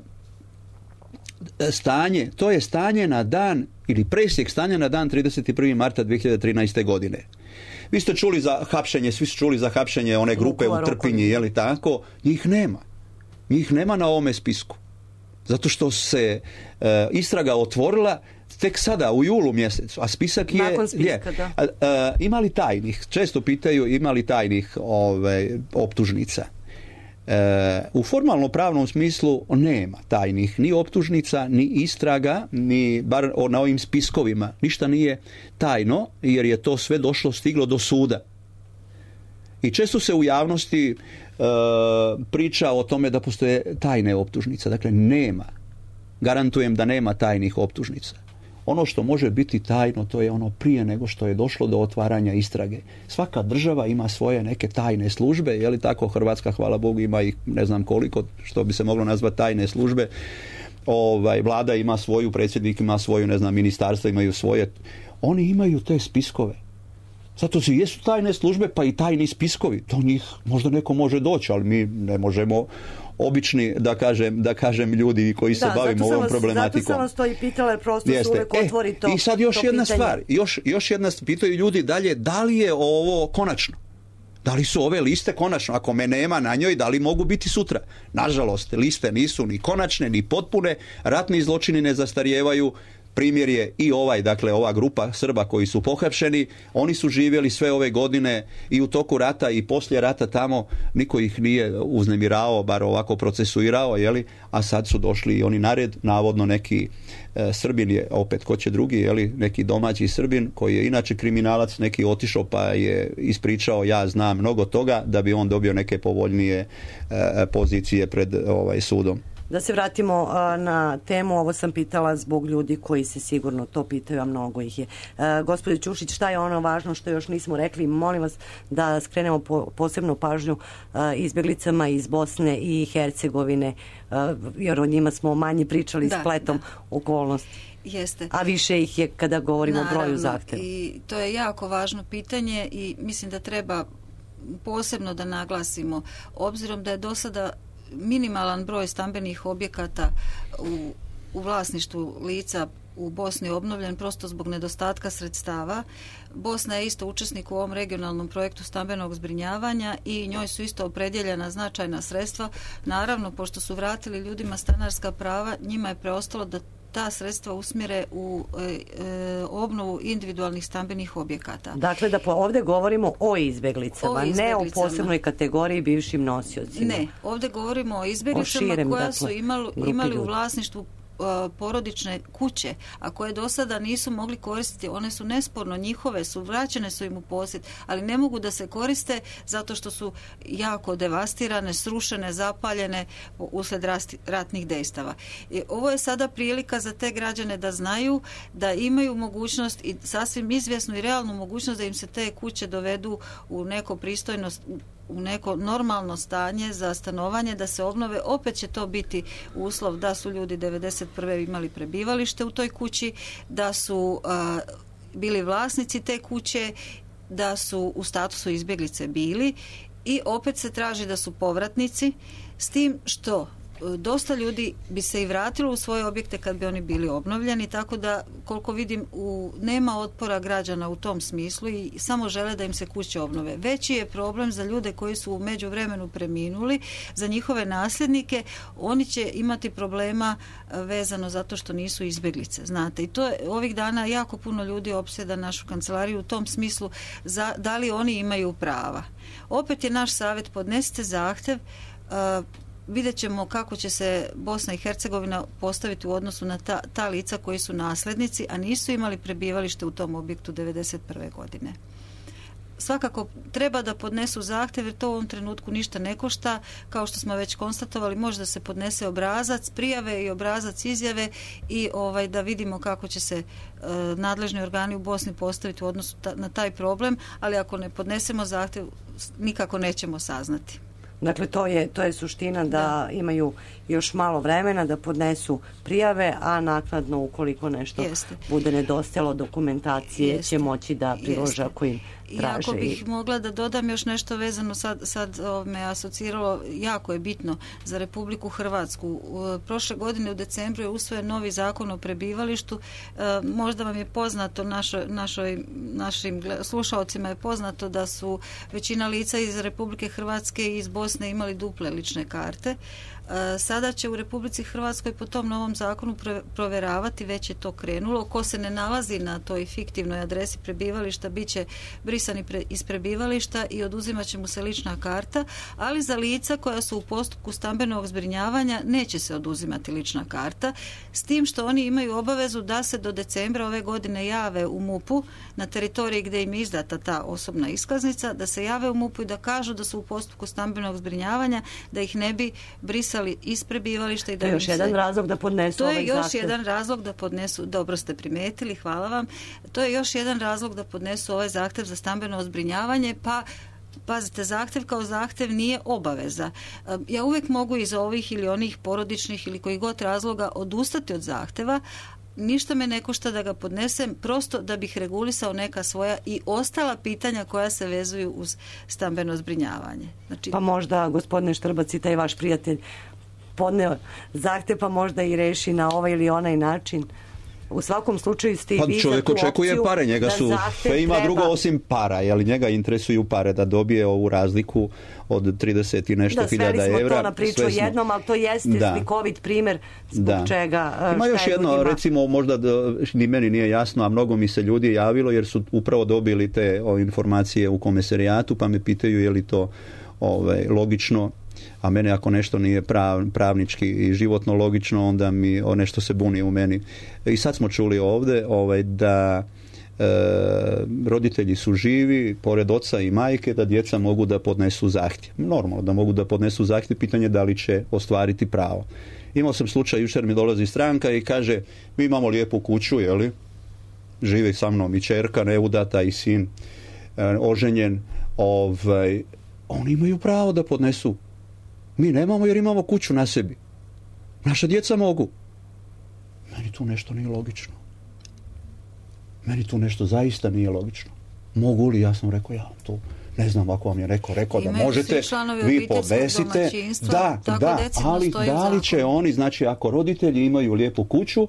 stanje, to je stanje na dan, ili presjek stanja na dan trideset prvog marta dvije hiljade trinaeste. godine. Vi ste čuli za hapšenje, svi su čuli za hapšenje one grupe u Trpinji, je li tako? Njih nema. Njih nema na ovome spisku. Zato što se e, istraga otvorila tek sada u julu mjesecu, a spisak je... Nakon spiska, je, da. A, a, ima li tajnih? Često pitaju ima li tajnih ove, optužnica. E, u formalno pravnom smislu nema tajnih ni optužnica, ni istraga, ni bar na ovim spiskovima. Ništa nije tajno, jer je to sve došlo, stiglo do suda. I često se u javnosti e, priča o tome da postoje tajne optužnice. Dakle, nema. Garantujem da nema tajnih optužnica. Ono što može biti tajno, to je ono prije nego što je došlo do otvaranja istrage. Svaka država ima svoje neke tajne službe, je li tako? Hrvatska, hvala Bogu, ima ih ne znam koliko, što bi se moglo nazvati tajne službe. Ovaj, vlada ima svoju, predsjednik ima svoju, ne znam, ministarstva imaju svoje. Oni imaju te spiskove. Zato se jesu tajne službe, pa i tajni spiskovi. Do njih možda neko može doći, ali mi ne možemo obični, da kažem, da kažem ljudi koji se da, bavimo ovom vas, problematikom. Zato sam vas to i pitala, jer prosto Jeste. se uvijek e, otvori to. I sad još jedna pitanje. stvar, još, još jedna stvar, pitaju ljudi dalje, da li je ovo konačno? Da li su ove liste konačno? Ako me nema na njoj, da li mogu biti sutra? Nažalost, liste nisu ni konačne, ni potpune, ratni zločini ne zastarijevaju. Primjer je i ovaj, dakle, ova grupa Srba koji su pohapšeni, oni su živjeli sve ove godine i u toku rata i poslije rata tamo, niko ih nije uznemiravao, bar ovako procesuirao, jeli? A sad su došli i oni na red, navodno neki e, Srbin je, opet ko će drugi, jeli? Neki domaći Srbin koji je inače kriminalac, neki otišao pa je ispričao ja znam mnogo toga da bi on dobio neke povoljnije e, pozicije pred ovaj sudom. Da se vratimo a, na temu, ovo sam pitala zbog ljudi koji se sigurno to pitaju, a mnogo ih je. A, gospođo Ćušić, šta je ono važno što još nismo rekli? Molim vas da skrenemo po, posebnu pažnju a, izbjeglicama iz Bosne i Hercegovine, a, jer o njima smo manje pričali da, spletom da. okolnosti. Jeste. A više ih je kada govorimo Naravno, o broju zahtjeva. I to je jako važno pitanje i mislim da treba posebno da naglasimo, obzirom da je do sada minimalan broj stambenih objekata u, u vlasništvu lica u Bosni obnovljen prosto zbog nedostatka sredstava. Bosna je isto učesnik u ovom regionalnom projektu stambenog zbrinjavanja i njoj su isto opredjeljena značajna sredstva. Naravno, pošto su vratili ljudima stanarska prava, njima je preostalo da ta sredstva usmjere u e, e, obnovu individualnih stambenih objekata. Dakle, da po, ovdje govorimo o izbjeglicama, o izbjeglicama, ne o posebnoj kategoriji bivšim nosiocima. Ne, ovdje govorimo o izbjeglicama o širem, koja dakle, su imali, imali u vlasništvu porodične kuće, a koje do sada nisu mogli koristiti, one su nesporno njihove, su vraćene su im u posjed, ali ne mogu da se koriste zato što su jako devastirane, srušene, zapaljene uslijed ratnih dejstava. I ovo je sada prilika za te građane da znaju da imaju mogućnost i sasvim izvjesnu i realnu mogućnost da im se te kuće dovedu u neko pristojno u neko normalno stanje za stanovanje, da se obnove, opet će to biti uslov da su ljudi devedeset prve imali prebivalište u toj kući, da su a, bili vlasnici te kuće, da su u statusu izbjeglice bili i opet se traži da su povratnici, s tim što dosta ljudi bi se i vratilo u svoje objekte kad bi oni bili obnovljeni, tako da koliko vidim u, nema otpora građana u tom smislu i samo žele da im se kuće obnove. Veći je problem za ljude koji su u međuvremenu preminuli, za njihove nasljednike, oni će imati problema vezano zato što nisu izbjeglice, znate. I to je ovih dana jako puno ljudi opsjeda našu kancelariju u tom smislu za, da li oni imaju prava. Opet je naš savjet, podnesite zahtjev, uh, vidjet ćemo kako će se Bosna i Hercegovina postaviti u odnosu na ta, ta lica koji su nasljednici, a nisu imali prebivalište u tom objektu devedeset prve godine. Svakako treba da podnesu zahtjev jer to u ovom trenutku ništa ne košta, kao što smo već konstatovali, može da se podnese obrazac prijave i obrazac izjave i ovaj da vidimo kako će se e, nadležni organi u Bosni postaviti u odnosu ta, na taj problem, ali ako ne podnesemo zahtjev nikako nećemo saznati. Dakle, to je, to je suština da, da imaju još malo vremena da podnesu prijave, a naknadno ukoliko nešto Jeste. bude nedostajalo dokumentacije Jeste. će moći da prilože ako im traže. I ako bih mogla da dodam još nešto vezano, sad, sad me asociralo, jako je bitno za Republiku Hrvatsku. Prošle godine u decembru je usvojen novi zakon o prebivalištu. Možda vam je poznato, našoj, našoj, našim slušalcima je poznato da su većina lica iz Republike Hrvatske i iz Bosne imali duple lične karte. Sada će u Republici Hrvatskoj po tom novom zakonu provjeravati, već je to krenulo, ko se ne nalazi na toj fiktivnoj adresi prebivališta bit će brisani pre, iz prebivališta i oduzimat će mu se lična karta, ali za lica koja su u postupku stambenog zbrinjavanja neće se oduzimati lična karta, s tim što oni imaju obavezu da se do decembra ove godine jave u MUP-u na teritoriji gdje im je izdata ta osobna iskaznica, da se jave u MUP-u i da kažu da su u postupku stambenog zbrinjavanja, da ih ne bi brisali iz prebivališta i da to je još jedan se... razlog da podnesu to ovaj je još zahtjev. jedan razlog da podnesu, dobro ste primijetili, hvala vam, to je još jedan razlog da podnesu ovaj zahtjev za stambeno zbrinjavanje, pa pazite, zahtjev kao zahtjev nije obaveza. Ja uvijek mogu iz ovih ili onih porodičnih ili kojih god razloga odustati od zahtjeva, ništa me ne košta da ga podnesem, prosto da bih regulisao neka svoja i ostala pitanja koja se vezuju uz stambeno zbrinjavanje. Znači, pa možda, gospodine Štrbac, i taj vaš prijatelj podneo zahtjev, pa možda i reši na ovaj ili onaj način. U svakom slučaju ste i pa vi čovjek za tu očekuje opciju pare, njega su, sve ima treba... drugo osim para, jer njega interesuju pare da dobije ovu razliku od trideset i nešto hiljada evra. Da, sveli smo to na priču smo... jednom, ali to jeste da. slikovit primjer zbog da. čega. Ima još jedno, ljudima... recimo, možda da, ni meni nije jasno, a mnogo mi se ljudi javilo jer su upravo dobili te o, informacije u komisarijatu, pa me pitaju je li to ovaj, logično. A mene ako nešto nije prav, pravnički i životno logično, onda mi o nešto se buni u meni. I sad smo čuli ovdje ovaj, da e, roditelji su živi, pored oca i majke, da djeca mogu da podnesu zahtjev. Normalno da mogu da podnesu zahtjev, pitanje da li će ostvariti pravo. Imao sam slučaj, jučer mi dolazi stranka i kaže, mi imamo lijepu kuću, jeli? Živi sa mnom i ćerka neudata i sin e, oženjen. Ovaj, oni imaju pravo da podnesu. Mi nemamo jer imamo kuću na sebi. Naša djeca mogu. Meni tu nešto nije logično. Meni tu nešto zaista nije logično. Mogu li? Ja sam rekao, ja to ne znam ako vam je neko rekao da možete, vi podesite. Da, da, ali da li će oni, znači ako roditelji imaju lijepu kuću,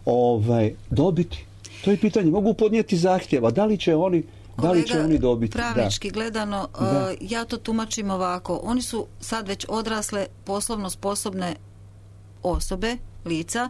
ovaj, dobiti? To je pitanje. Mogu podnijeti zahtjeva. Da li će oni Kolega, da li će oni dobiti? Pravnički da. gledano, Da. Uh, ja to tumačim ovako. Oni su sad već odrasle, poslovno sposobne osobe, lica,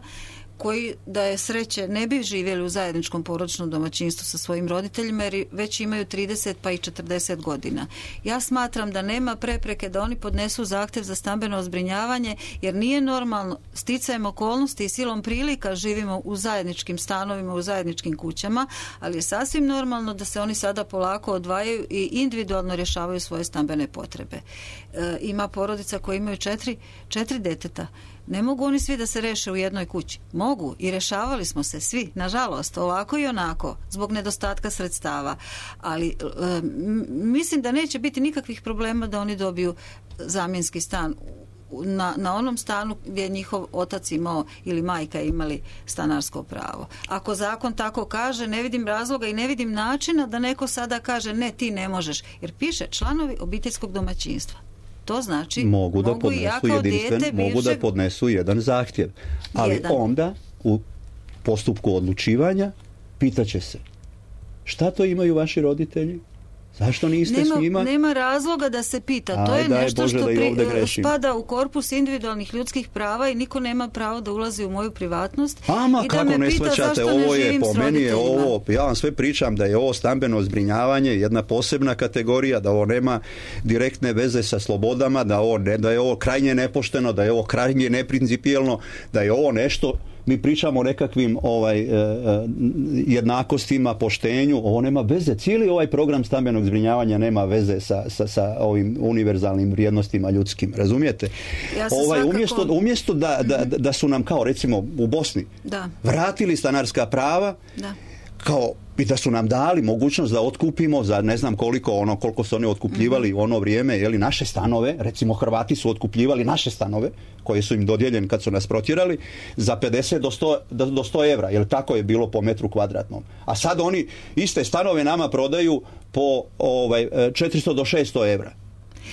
koji da je sreće ne bi živjeli u zajedničkom porodičnom domaćinstvu sa svojim roditeljima jer već imaju trideset pa i četrdeset godina. Ja smatram da nema prepreke da oni podnesu zahtjev za stambeno zbrinjavanje jer nije normalno, sticajem okolnosti i silom prilika živimo u zajedničkim stanovima, u zajedničkim kućama, ali je sasvim normalno da se oni sada polako odvajaju i individualno rješavaju svoje stambene potrebe. E, ima porodica koji imaju četiri, četiri deteta. Ne mogu oni svi da se reše u jednoj kući. mogu i rešavali smo se svi, nažalost, ovako i onako, zbog nedostatka sredstava. Ali e, mislim da neće biti nikakvih problema da oni dobiju zamjenski stan na, na onom stanu gdje je njihov otac imao ili majka imali stanarsko pravo. Ako zakon tako kaže, ne vidim razloga i ne vidim načina da neko sada kaže ne, ti ne možeš. Jer piše članovi obiteljskog domaćinstva. To znači mogu da mogu podnesu ja kao jedinstven, dijete mogu da bivšeg... podnesu jedan zahtjev. Ali jedan. Onda u postupku odlučivanja pitaće se šta to imaju vaši roditelji? Zašto niste nema, s njima? Nema razloga da se pita. Aj, to je daj nešto Bože što da i ovdje pri, grešim. spada u korpus individualnih ljudskih prava i niko nema pravo da ulazi u moju privatnost. Ama i da kako me ne pita shvaćate, zašto ovo ne je živim po s meni je roditeljima. ovo, ja vam sve pričam da je ovo stambeno zbrinjavanje jedna posebna kategorija, da ovo nema direktne veze sa slobodama, da, ovo ne, da je ovo krajnje nepošteno, da je ovo krajnje neprincipijelno, da je ovo nešto. Mi pričamo o nekakvim ovaj, eh, jednakostima, poštenju, ovo nema veze. Cijeli ovaj program stambenog zbrinjavanja nema veze sa, sa, sa ovim univerzalnim vrijednostima ljudskim, razumijete? Ja se ovaj, svakako... umjesto, umjesto da, da, da su nam kao recimo u Bosni da. vratili stanarska prava, da. kao i da su nam dali mogućnost da otkupimo za ne znam koliko ono koliko su oni otkupljivali u ono vrijeme, je li, naše stanove, recimo Hrvati su otkupljivali naše stanove koje su im dodijeljeni kad su nas protjerali za pedeset do sto, do sto evra, jer tako je bilo po metru kvadratnom. A sad oni iste stanove nama prodaju po ovaj četiristo do šesto evra.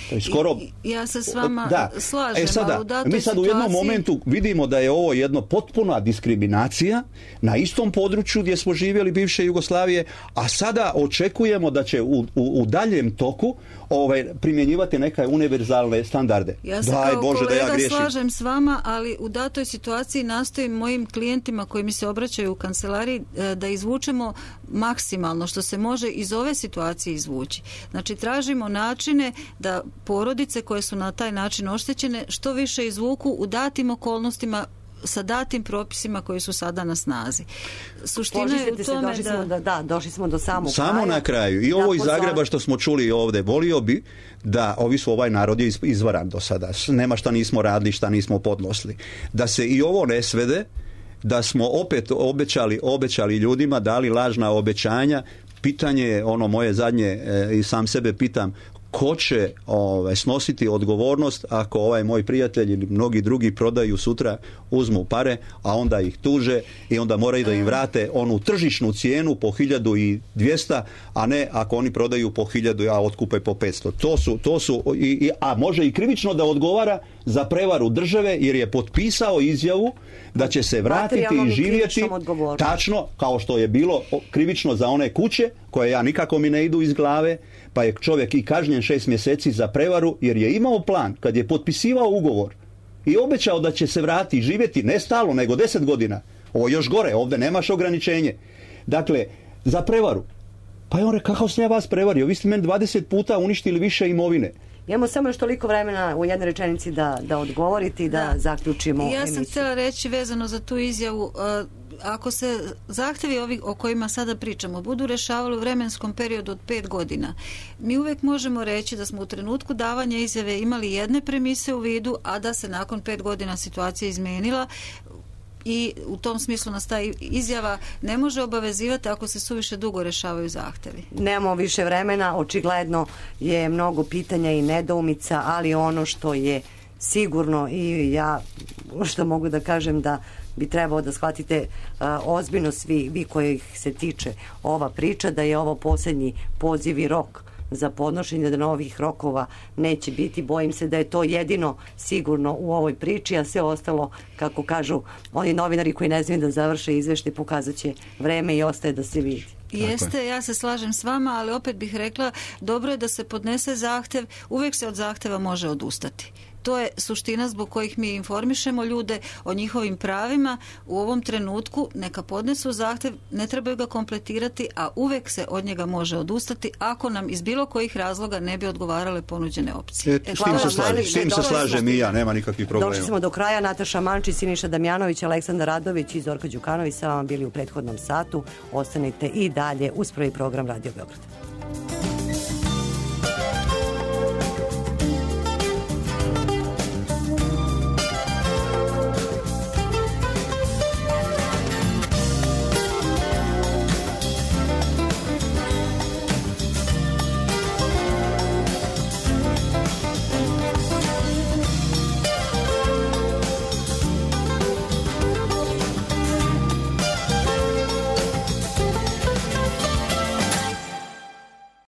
To je skoro... I, ja se s vama da. slažem, e sada, ali u datoj mi sad situaciji... u jednom momentu vidimo da je ovo jedno potpuna diskriminacija na istom području gdje smo živjeli bivše Jugoslavije, a sada očekujemo da će u, u, u daljem toku ovaj, primjenjivati neke univerzalne standarde. Ja se Daj kao Bože kolega da ja griješim. slažem s vama, ali u datoj situaciji nastojim mojim klijentima koji mi se obraćaju u kancelariji da izvučemo maksimalno što se može iz ove situacije izvući. Znači tražimo načine da porodice koje su na taj način oštećene što više izvuku u datim okolnostima sa datim propisima koji su sada na snazi. Suština je u tome se, da... da... Da, došli smo do samog Samo kraja. na kraju. I ovo iz pozor... Zagreba što smo čuli ovdje, volio bi da ovi su ovaj narod je izvaran do sada. Nema šta nismo radili, šta nismo podnosili. Da se i ovo ne svede, da smo opet obećali, obećali ljudima, dali lažna obećanja. Pitanje je ono moje zadnje e, i sam sebe pitam, ko će ovaj, snositi odgovornost ako ovaj moj prijatelj ili mnogi drugi prodaju sutra, uzmu pare, a onda ih tuže i onda moraju da im vrate onu tržišnu cijenu po hiljadu i dvjesto, a ne ako oni prodaju po hiljadu, a otkupe po petsto. To su, to su i, i, a može i krivično da odgovara za prevaru države jer je potpisao izjavu da će se vratiti i živjeti tačno kao što je bilo krivično za one kuće koje ja nikako mi ne idu iz glave, pa je čovjek i kažnjen šest mjeseci za prevaru jer je imao plan kad je potpisivao ugovor i obećao da će se vratiti i živjeti ne stalno nego deset godina. Ovo još gore, ovdje nemaš ograničenje. Dakle, za prevaru. Pa je on rekao, kako sam ja vas prevario? Vi ste meni dvadeset puta uništili više imovine. Imamo samo još toliko vremena u jednoj rečenici da, da odgovorite i da, da. zaključimo ja emisiju. sam htjela reći vezano za tu izjavu, uh, ako se zahtjevi ovi o kojima sada pričamo budu rešavali u vremenskom periodu od pet godina, mi uvijek možemo reći da smo u trenutku davanja izjave imali jedne premise u vidu, a da se nakon pet godina situacija izmenila i u tom smislu nas ta izjava ne može obavezivati ako se suviše dugo rešavaju zahtjevi. Nemamo više vremena, očigledno je mnogo pitanja i nedoumica, ali ono što je sigurno i ja što mogu da kažem da bi trebao da shvatite uh, ozbiljno svi vi kojih se tiče ova priča, da je ovo posljednji poziv i rok za podnošenje, da novih rokova neće biti. Bojim se da je to jedino sigurno u ovoj priči, a sve ostalo, kako kažu oni novinari koji ne znaju da završe izveštaj, pokazat će vreme i ostaje da se vidi. Jeste, ja se slažem s vama, ali opet bih rekla, dobro je da se podnese zahtjev, uvijek se od zahtjeva može odustati. To je suština zbog kojih mi informišemo ljude o njihovim pravima. U ovom trenutku neka podnesu zahtjev, ne trebaju ga kompletirati, a uvijek se od njega može odustati ako nam iz bilo kojih razloga ne bi odgovarale ponuđene opcije. E, s tim se slažem, s tim se slažem i ja, nema nikakvih problema. Došli smo do kraja. Nataša Mančić, Siniša Damjanović, Aleksandar Radović i Zorka Đukanović sa vama bili u prethodnom satu. Ostanite i dalje uz prvi program Radio Beograd.